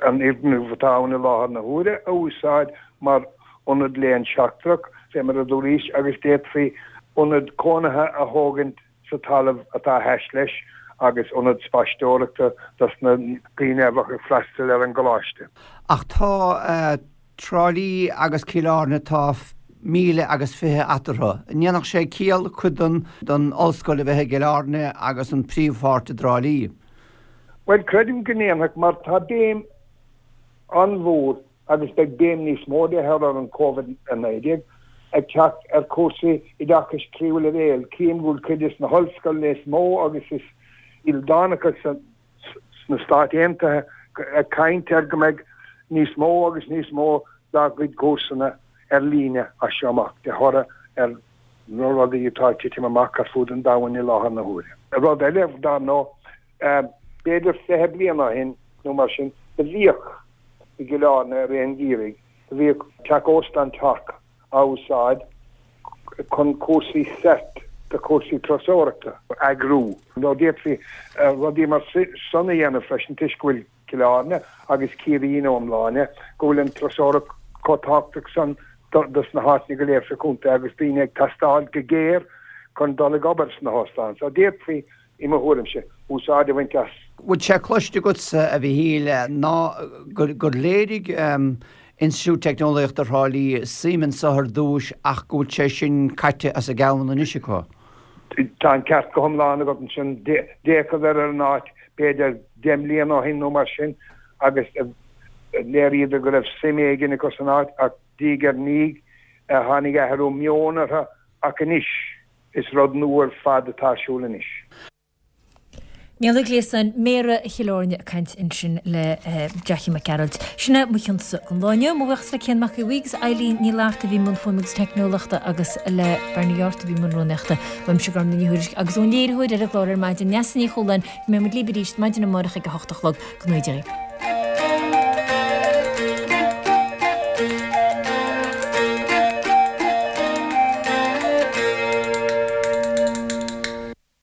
an fhoirgneamh atá ann i láthair na huaire a úsáid mar ionad léann seachtrach, fé mar a dúraís, agus d'fhéadfaí ionad cónaithe a thógaint sa talamh atá thais leis agus ionad spaisteoireachta dos na daoine a bheadh ag freastal ar an gcoláiste. Ach tá Trá Lí agus Cill Airne, tá míle agus fiche eatarthu. An ndéanfadh sé ciall cuid den den ollscoil a bheith i gCill Airne agus an príomhpháirt i dTrá Lí? Bhuel, creidim go ndéanfadh, mar tá béim an-mhór, agus beidh béim níos mó de thoradh an Covid a naoi déag, ag teacht ar chúrsaí oideachais tríú leibhéal. Cím go bhfuil cuid des na hollscoileanna is mó agus is ildánacha sna Stáit Aontaithe ag caint ar go mbeidh níos mó agus níos mó dá gcuid cúrsanna ar líne as seo amach, de thoradh ar na rudaí atá ag titim amach ar fud an domhain i láthair na huaire. Rud eile, dar ndóigh, b'fhéidir fiche bliain ó shin nó mar sin, do bhíodh i gCill Airne i rith an gheimhridh, do bhíodh teach óstáin Torc á úsáid chun cúrsaí cert do chúrsaí turasóireachta a eagrú. Nó d'fhéadfaí rudaí mar san a dhéanamh freisin toisc go bhfuil Cill Airne agus Ciarraí ina iomláine, go bhfuil an turasóireacht chomh tábhachtach san dos na háiteanna go léir sa chontae agus daoine ag teastáil go géar chun dul ag obair sna hóstáin. So d'fhéadfaí, i mo thuairimse, úsáid a bhaint as. Bhfuil sé cloiste agatsa, a Mhichíl, ná gur léirigh Institiúid Teicneolaíochta Thrá Lí suim anso ar dtúis ach go bhfuil sé sin caite as a gceann anois acu? Tá an ceart go hiomlán agat ansin. D'fhéachadar ar an áit b'fhéidir deich mbliana ó shin nó mar sin agus léiríodar go raibh suim éigin acu san áit ach diaidh ar ndiaidh tháinig athrú meoin orthu ach anois is rud nua ar fad atá ar siúl anois. Mícheál Ó Gliasáin, Méara Chill Airne ag caint ansin le Jackie Mac Gearailt. Sin é mo chionsa don lá inniu. Mo bhuíochas le Cian Mac Aodha Bhuí agus Eileen Ní Fhlatharta a bhí i mbun fuaime agus teicneolaíochta agus le Bernie Yortt a bhí i mbun rúnaíochta. Uaimse Gormfhlaith Ní Thuairisg agus ón léiritheoir ar an gclár ar maidin, Neasa Ní Chualáin, go mbeidh muid libh arís maidin amárach ag a hocht a chlog. Go ngnóthaí Dia dhaoibh.